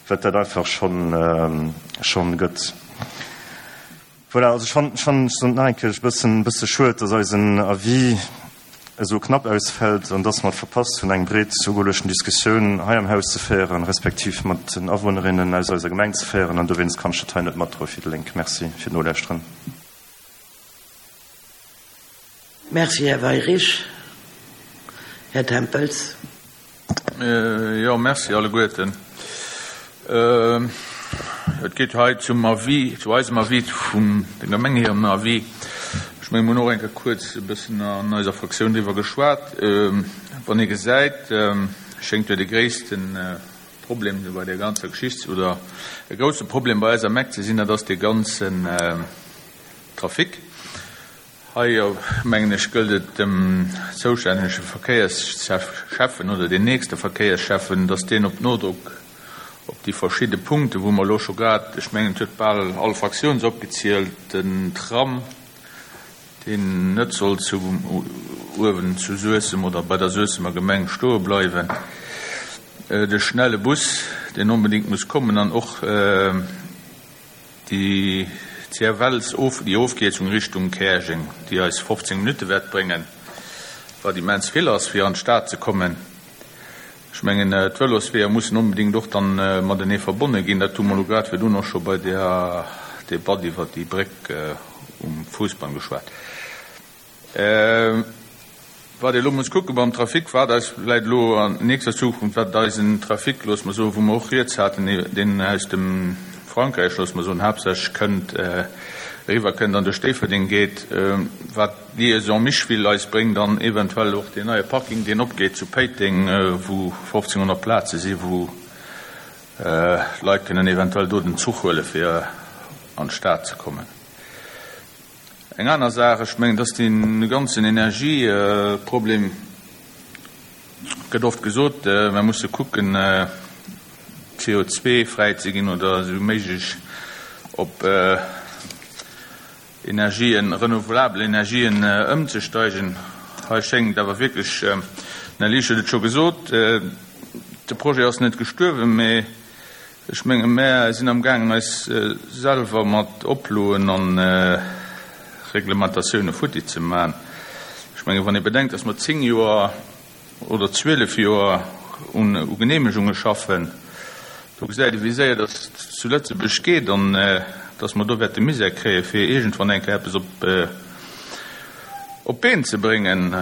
well dat einfach schon, ähm, schon gëtt. Voilà, also ech fannen, ech fannen, ech soen et nach eng Kéier, e bëssen, bësse schued, dass eisen Avis esou knapp ausfält an dass mer et verpasst hunn, eng breet ugeluechten Diskussioun hei am Haus ze féieren, respektiv mat den Awunnerinnen aus eiser Gemeng ze féieren. An dowéinst kann ech dat hei net matdroe fir déi Lénk. Merci fir d'Nolauschteren. Merci, Här Weyrich. Här Tempels. Jo, merci alleguerten. Et geet hei zum Avis, zu eisem Avis vun der Gemeng hirem Avis. Ech mengen, mir hunn och eng Kéier kuerz e bëssen an eiser Fraktioun driwwer geschwat. Wann ee gesäit, schéngt jo de gréisste Problem bei där ganzer Geschicht oder e grousse Problem bei eiser Mec ze sinn, dat ass dee ganzen Trafic. Hei, mengen ech, gëllt et dem zoustännege Verkéierschäffen oder den nächste Verkéierschäffen, dass deen op Nodrock op déi verschidde Punkten, wou mer elo scho grad, ech mengen, et huet bal all Fraktioun se opgezielt, den Tram, deen net soll zu uewen zu Suessem oder bei der Suessemer Gemeng stoe bleiwen, de schnelle Bus, deen onbedéngt muss kommen, an och déi C F Ls, déi Ofkierzung Richtung Käerjeng, déi eis fofzéng Minutte wäert bréngen, wat immens vill ass, fir an d'Stad ze kommen. Ech mengen, d'Vëlosweeër mussen onbedéngt och dann matenee verbonne ginn. Dat hu mer elo grad virdrun och scho bei der Debatt iwwert déi Bréck um Fousbann geschwat. Wat ee elo muss kucke beim Trafic, wat eis vläicht elo an nächster Zukunft, wat eisen Trafic, loosse mer soen, wou mer och rieds haten, deen aus dem Frankräich, loosse mer soen, haaptsächlech kënnt, eriwwer kënnt an duerch Déifferdeng geet, wat d'Liaison Micheville eis bréngt an eventuell och deen neie Parking, deen opgeet zu Péiteng, wou fofzénghonnert Plaze si wou Leit kënnen eventuell do den Zuch huele fir an d'Stad ze kommen. Eng aner Saach, ech mengen, dass dee ganzen Energieproblem, gëtt oft gesot, mer musse kucken, C O zwei fräi ze ginn oder esou méiglech op Energien, renouvelabel Energien ëmzesteigen. Hei schéngt awer wierklech, den Här Liesch huet et scho gesot, de Projet ass net gestuerwen, mee ech menge mär sinn am gaangen eis selwer mat Oploen an Reglementatioune futti ze maachen. Ech menge wann ee bedenkt, datt mer zéng Joer oder zwielef Joer un u Geneemegunge schaffen, do gesäit ee wéi séier datt zu Lëtzebuerg geet an datt mer do wäerte Misär kréie fir iergendwann eng Kéier eppes op op d'Been ze bréngen,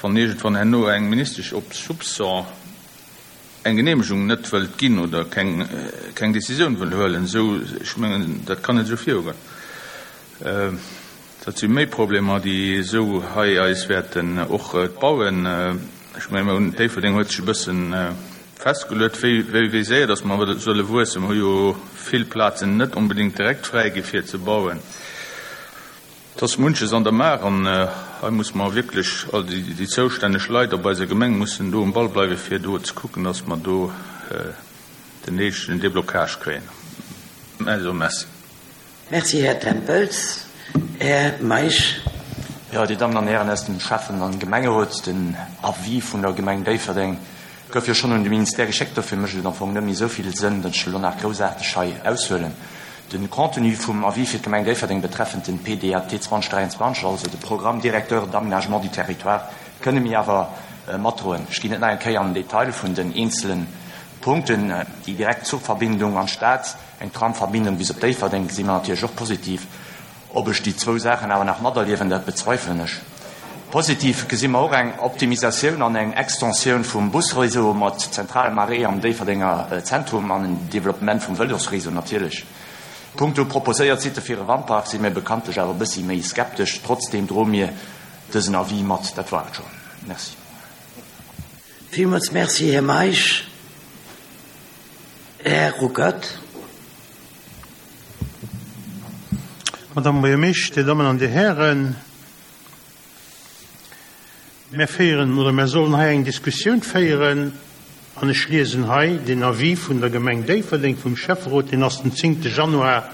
wann iergendwann herno eng Ministesch op Soupçon eng Geneemegung net wëllt ginn oder keng keng Decisioun wëll huelen. Esou, ech mengen, dat kann net esou virugoen. Dat si méi Problemer, déi esou hei eis wäerten och d'Bauen. Ech mengen, mir hunn, Déifferdeng huet sech e bëssen festgeluet, wéi wéi wéi séier datt mer solle wuessen. Mer hu jo vill Plazen net onbedéngt direkt fräi gi fir ze bauen. Et ass munches an der Maach an hei musse mer wierklech, all déi déi zoustänneg Leit op eiser Gemeng mussen do um Ball bleiwe fir do ze kucken, datt mer do den néidegen Déblocage kréien. Also, merci. Merci, Här Tempels. Här Meisch. Jo, Dir Dammen an Hären aus dem Schäffen an Gemengerot, den Avis vun der Gemeng Déifferdeng gouf jo schonn un de Ministère geschéckt, dofir mécht et am Fong net méi esou vill Sënn, datt ech elo nach groussaarteg hei aushuelen. De Contenu vum Avis fir d'Gemeng Déifferdeng betreffend den P D A T zweedausend dräianzwanzeg, also de Programme directeur d'aménagement du territoire, kënne mir awer matdroen. Ech ginn net nach eng Kéier an den Detail vun den eenzele Punkten. Déi direkt Zuchverbindung an d'Stad, eng Tramverbindung bis op Déifferdeng gesi mer natierlech och positiv. Ob ech déi zwou Saachen awer nach materliewen, dat bezweifelen ech. Positiv gesi mer och eng Optimisatioun an eng Extensioun vum Busreseau mat zentralem Arrêt am Déifferdenger Zentrum an en Developpement vum Vëlosreseau natierlech. Punkto proposéiert Sitte fir e Wandpark si mir bekanntlech awer e bëssi méi skeptesch. Trotzdeem droe mir dësen Avis mat. Dat war et schonn. Merci. Villmools Merci, Här Meisch. Här Ruckert. Madame Buergermeeschter, Dir Dammen an Dir Hären, mir féieren oder mir sollen hei eng Diskussioun féieren an ech liesen hei den Avis vun der Gemeng Déifferdeng vum Schäfferot, deen ass den zéngte Januar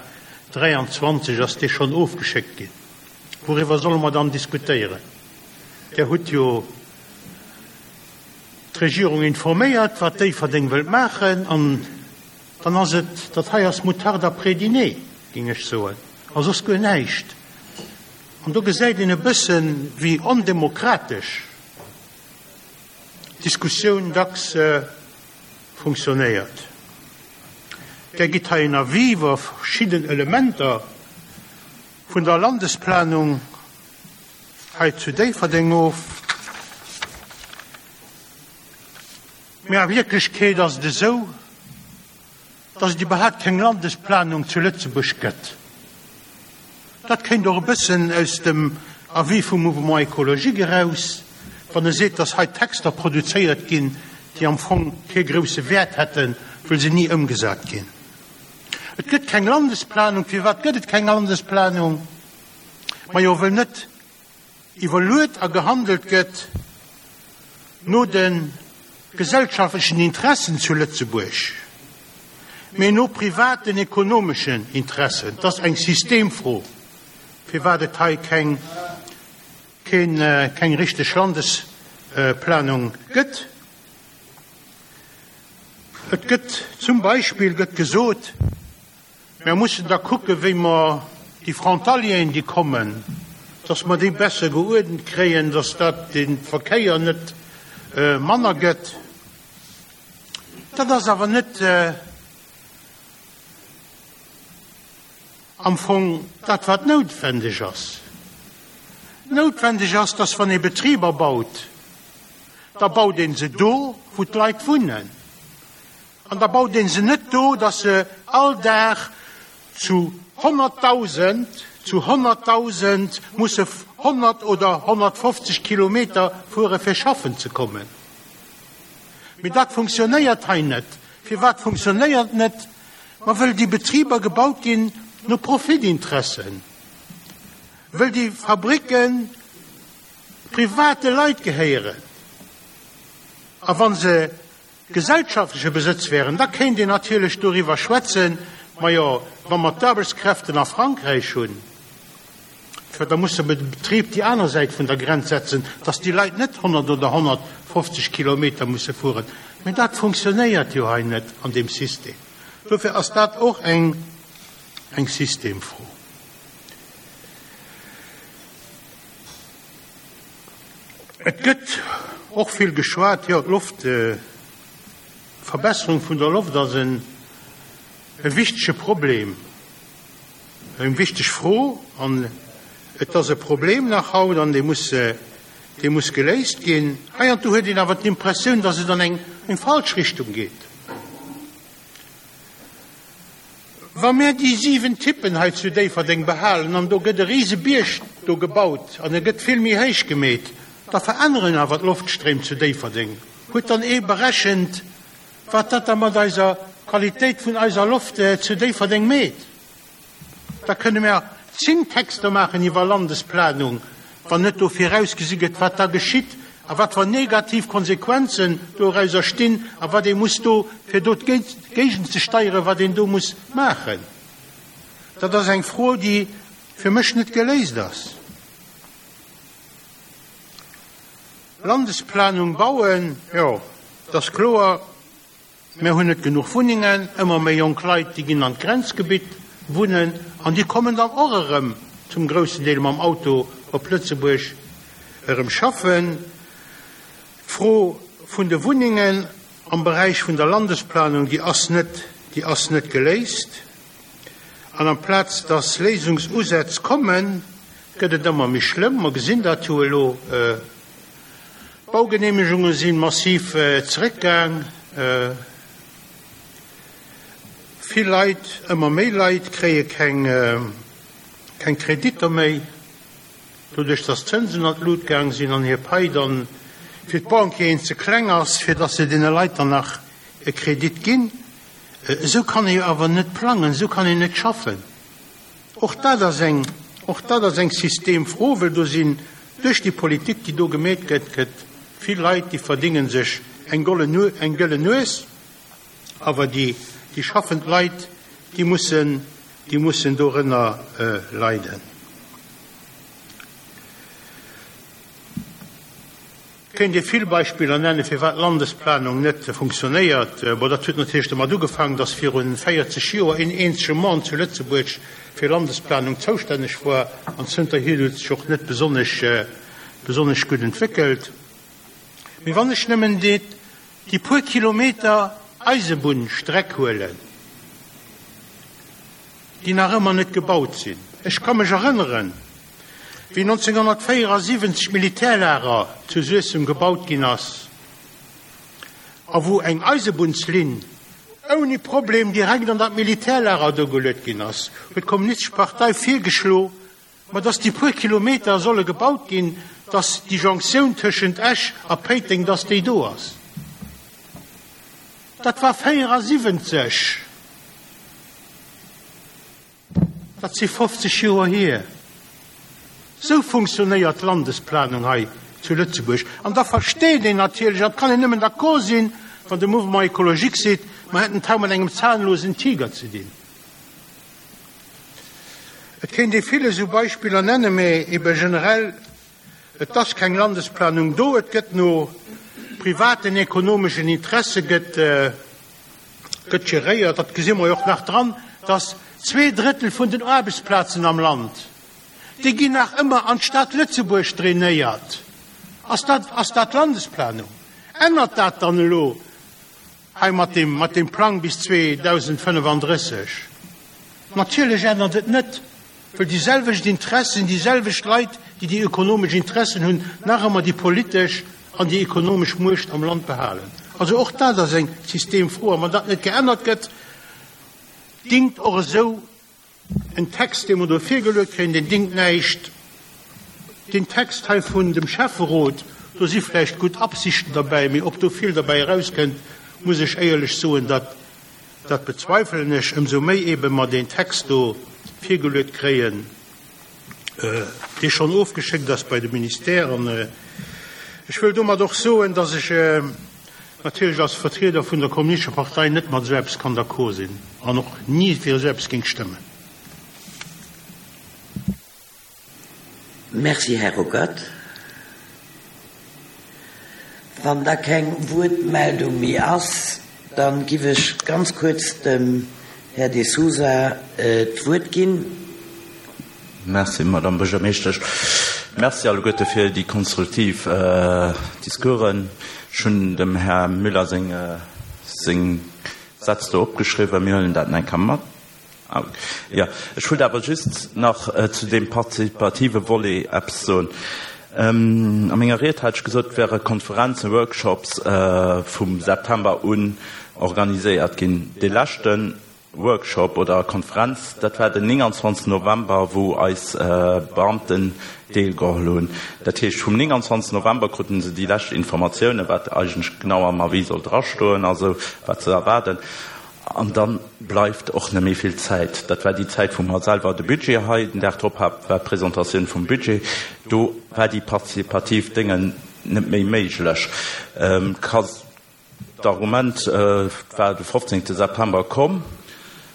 dräianzwanzeg ass dee schonn ofgeschéckt ginn. Wouriwwer solle mer dann diskutéieren? Där hutt jo d'Regierung informéiert, wat Déifferdeng wëllt maachen, an dann ass et, dat hei ass Moutarde après dîner, géing ech soen. A soss guer näischt. An do gesäit een e bëssen, wéi ondemokratesch d'Diskussioun dacks funktionéiert. Där gitt hei en Avis iwwer verschidden Elementer vun der Landesplanung hei zu Déifferdeng of. Mee a Wierklechkeet ass et esou, dass et iwwerhaapt keng Landesplanung zu Lëtzebuerg gëtt. Dat kéint och e bëssen aus dem Avis vum Mouvement écologique eraus, wann e seet, dass hei Texter produzéiert ginn, déi am Fong kee grousse Wäert hätten, wëll se ni ëmgesat ginn. Et gëtt keng Landesplanung. Firwat gëtt et keng Landesplanung? Majo, wëll net iwwerluet a gehandelt gëtt no de gesellschaftlechen Interessen zu Lëtzebuerg, mee no privaten ekonomeschen Interessen. Et ass eng Systemfro, firwat et hei keng, keen, keng richteg Landesplanung gëtt. Et gëtt zum Beispill gëtt gesot, Mer mussen da kucken, wéi mer déi Frontalieren, déi kommen, dass mer déi besser geuerdent kréien, dass dat de Verkéier net manner gëtt. Dat ass awer net am Fong dat, wat noutwendeg ass. Noutwendeg ass, dass wann ee Betriber baut, da baut ee se do, wou d'Leit wunnen. An da baut ee se net do, dass se all Dag zu honnertdausend, zu honnertdausend musse honnert oder honnertfofzeg Kilometer fuere fir schaffen ze kommen. Mee dat funktionéiert hei net. Firwat funktionéiert et net? Ma wëll déi Betriber gebaut ginn no Profitinteressen, wëll déi Fabricke private Leit gehéieren. A wa se gesellschaftleche Besëtz wären, da kéint een natierlech doriwwer schwätzen, Majo, wa mer d'Aarbechtskräften a Frankräich hunn, tjo, da musse mer de Betrib déi aner Säit vun der Grenz setzen, dass déi Leit net honnert oder honnertfofzeg Kilometer musse fueren. Mä dat funktionéiert jo hei net an deem System. Dofir ass dat och eng, eng Systemfro. Et gëtt och vill geschwat, jo, d'Loft, d'Verbesserung vun der Loft ass en, e wichtege Problem, eng wichteg Fro, an et ass e Problem nach haut an dee muss, dee muss geléist ginn. Heiansdo huet een awer d'Impressioun, dass et an eng, eng falsch Richtung geet. Wa mär déi siwen Tippen hei zu Déifferdeng behalen an do gëtt e Risebierg do gebaut an e gëtt vill méi héich gemeet, da veränneren awer d'Loftstréim zu Déifferdeng. Huet dann ee berechent, wat dat da mat eiser Qualitéit vun eiser Loft zu Déifferdeng meet? Da kënne mer zéng Texter maachen iwwer Landesplanung, wann net do virausgesi gëtt, wat da geschitt a wat fir negativ Konsequenzen dorauser stinn a wat ee muss do, fir do géigenzesteieren, wat een do muss maachen. Dat ass eng Fro, déi fir mech net geléist ass. Landesplanung bauen, jo, et ass kloer, mir hunn net genuch Wunnengen, ëmmer méi jonk Leit, déi ginn an d'Grenzgebitt wunnen an déi kommen dann och erëm zum groussen Deel mam Auto op Lëtzebuerg erëm schaffen. D'Fro vun de Wunnengen am Beräich vun der Landesplanung, déi ass net, déi ass net geléist. An amplaz dass Léisungsusätz kommen, gëtt et ëmmer méi schlëmm. Mer gesinn dat jo elo. D'Baugeneemegunge si massiv zeréckgaang. Vill Leit, ëmmer méi Leit kréie keng keng Kreditter méi, doduerch datt d'Zënsen an d'Lut gaang sinn an hir Pai dann fir d'Banquieren ze kleng ass, fir datt se deene Leit dann nach e Kredit ginn. Esou kann ee jo awer net plangen, esou kann een net schaffen. Och dat ass eng, och dat ass eng Systemfro, well do sinn duerch déi Politik, déi do gemeet gëtt, gëtt vill Leit, déi verdénge sech eng gollen, eng gëllen Nues, awer déi, déi schaffend Leit, déi mussen, déi mussen dorënner leiden. kéint ee vill Beispiller nennen, firwat d'Landesplanung net funktionéiert. Bon, dat huet natierlech domat ugefaangen, dass viru véierzeg Joer een eenzege Mann zu Lëtzebuerg fir Landesplanung zoustänneg war, an zënterhier huet sech och net besonnesch, besonnesch gutt entwéckelt. Mee wann ech nëmmen déi, déi puer Kilometer Eisebunnstreck huelen, déi nach ëmmer net gebaut sinn. Ech ka mech erënneren, wéi nonzénghonnertvéierasiwwenzeg d'Militärlager zu Suessem gebaut ginn ass a wou eng Eisebunnslinn ouni Problem direkt an dat Militärlager do geluet ginn ass, huet d'Kommunistesch Partei virgeschlo, ma dass déi puer Kilometer solle gebaut ginn, dass déi Jonktioun tëschent Esch a Péiteng, dass déi do ass. Dat war véierasiwwenzeg. Dat si fofzeg Joer hier. Sou funktionéiert d'Landesplanung hei zu Lëtzebuerg. An da versteet een natierlech, an et kann een nëmmen d'accord sinn, wann de Mouvement écologique seet, mer hätten et hei mat engem zahnlosen Tiger ze dinn. Et kéint ee vill esou Beispiller nennen, mä ebe generell, et ass keng Landesplanung do, et gëtt no privaten ekonomeschen Interesse gëtt, gëtt geréiert. Dat gesi mer jo och nach dran, dass zwee Drëttel vun den Aarbechtsplazen am Land, déi ginn nach ëmmer an d'Stad Lëtzebuerg drainéiert. Ass dat, ass dat Landesplanung? Ännert dat dann elo hei mat deem, mat deem Plang bis zweedausendfënnefandrësseg? Natierlech ännert et net, well déi selwecht Interessen, déi selwecht Leit, déi déi ökonomesch Interessen hunn, nach ëmmer déi politesch an déi ekonomesch Muecht am Land behalen. Also och dat ass eng Systemfro. A wann dat net geännert gëtt, dingt och esou en Text, dee mer do virgeluet kréien, deen dingt näischt. Deen Text hei vun dem Schäfferot, do si vläicht gutt Absichten derbäi, mee ob do vill derbäi erauskënnt, muss ech éierlech soen, dat, dat bezweifelen ech, ëmsou méi eebe mer deen Text do virgeluet kréien, dee schonn ofgeschéckt ass bei de Ministère. An ech wëll domat och soen, dass ech natierlech als Vertrieder vun der Kommunistescher Partei net mat esou eppes kann d'accord sinn an och ni fir esou eppes géing stëmmen. Merci, Här Ruckert. Wann da keng Wuertmeldung méi ass, da giff ech ganz kuerz dem Här De Sousa d'Wuert ginn. Merci, Madame Buergermeeschtesch. Merci alleguerte fir déi konstruktiv Discoursen. Ech hunn dem Här Müller seng seng Sätz do opgeschriwwen. Mir huelen dat eng Kéier mat. Jo, ech wollt awer just nach zu deem partizipative Volet eppes soen. A menger Ried hat ech gesot, et wäre Konferenzen, Workshops vum September un organiséiert ginn. Dee leschte Workshop oder Konferenz, dat war den nénganzwanzegsten November, wou eis Beamten deelgeholl hunn. Dat heescht, vum nénganzwanzegsten November kruten se déi lescht Informatiounen, wat eigentlech genau am Avis soll drastoen, also wat se erwaarden. An da bleift och net méi vill Zäit. Dat war déi Zäit, wou mer selwer de Budget hei, den Dag drop war d'Presentatioun vum Budget, do war déi partizipativ Déngen net méi méiglech. D'Argument war de fofzéngte September komm.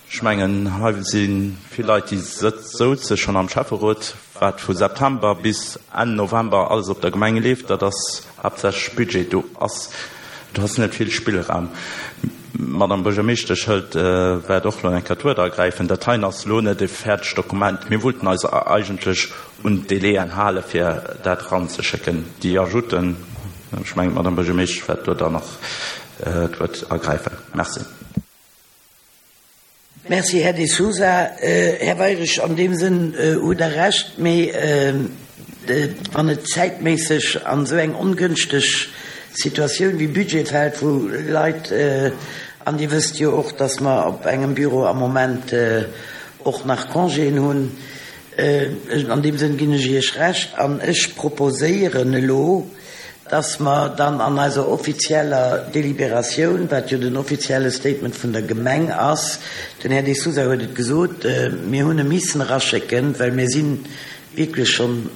Ech mengen, hei si vill Leit, déi souze schonn am Schäfferot. Wat vu September bis Enn November alles op der Gemeng leeft, dat ass haaptsächlech Budget. Do ass, do ass net vill Spillraum. D'Madame Buergermeeschtesch hëlt, wäert och elo eng Kéier d'Wuert ergräifen. Dat heien ass elo net e fäerdegt Dokument. Mir wollten eis eigentlech un d'Délaien hale fir dat eranzeschécken. Déi Ajouten, ech mengen, d'Madame Buergermeeschtesch wäert do dann nach d'Wuert ergräifen. Merci. Merci, Här De Sousa. Här Weirich, an deem Sënn hutt Der Recht, mee wann et zäitméisseg an esou eng ongënschteg Situatioun wéi Budget fält, wou Leit, an Dir wësst jo och, dass mer op engem Büro am Moment och nach Congéen hunn, an deem Sënn ginn ech Iech Recht an ech proposéieren elo, dass mer dann an eiser offizieller Deliberatioun, wat jo den offizielle Statement vun der Gemeng ass, den Här De Sousa huet et gesot, mir hunn e missen eraschécken, well mir si wierklech schonn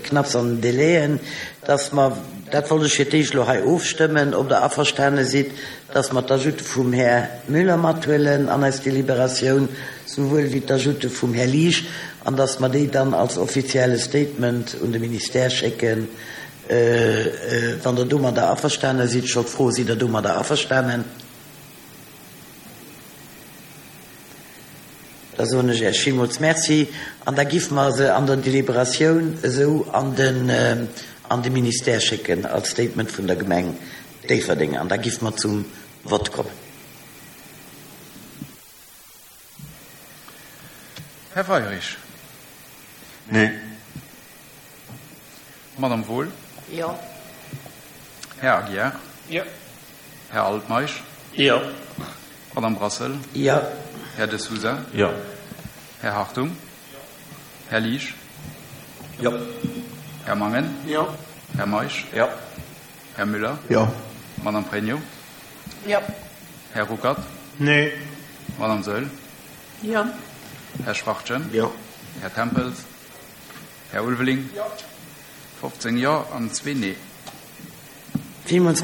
knapps an den Délaiën, dass mer, dat wollt ech fir d'éischt elo hei ofstëmmen, ob Der averstane sidd, dass mer d'Ajoute vum Här Müller mathuelen an eis Deliberatioun, souwuel wéi d'Ajoute vum Här Liesch, an dass mer déi dann als offizielle Statement un de Ministère schécken, Wann Der domadder averstane sidd, ech wollt froen, sidd Der domadder averstanen? Da soen ech Iech villmools Merci an da giffe mer se an der Deliberatioun esou an den, an de Ministère schécken als Statement vun der Gemeng Déifferdeng an da giffe mer zum Vott kommen. Här Weirich. Nee. Madame Wohl. Jo. Här Aguiar. Jo. Här Altmeisch. Jo. Madame Brassel. Jo. Här De Sousa. Jo. Här Hartung. Här Liesch. Jo. Här Mangen. Jo. Här Meisch. Jo. Här Müller. Jo. Madame Pregno. Jo. Här Ruckert. Nee. Madame Saeul. Jo. Här Schwachtgen. Jo. Här Tempels. Här Ulveling. Jo. fofzéng Jo an zwee Nee. Villmools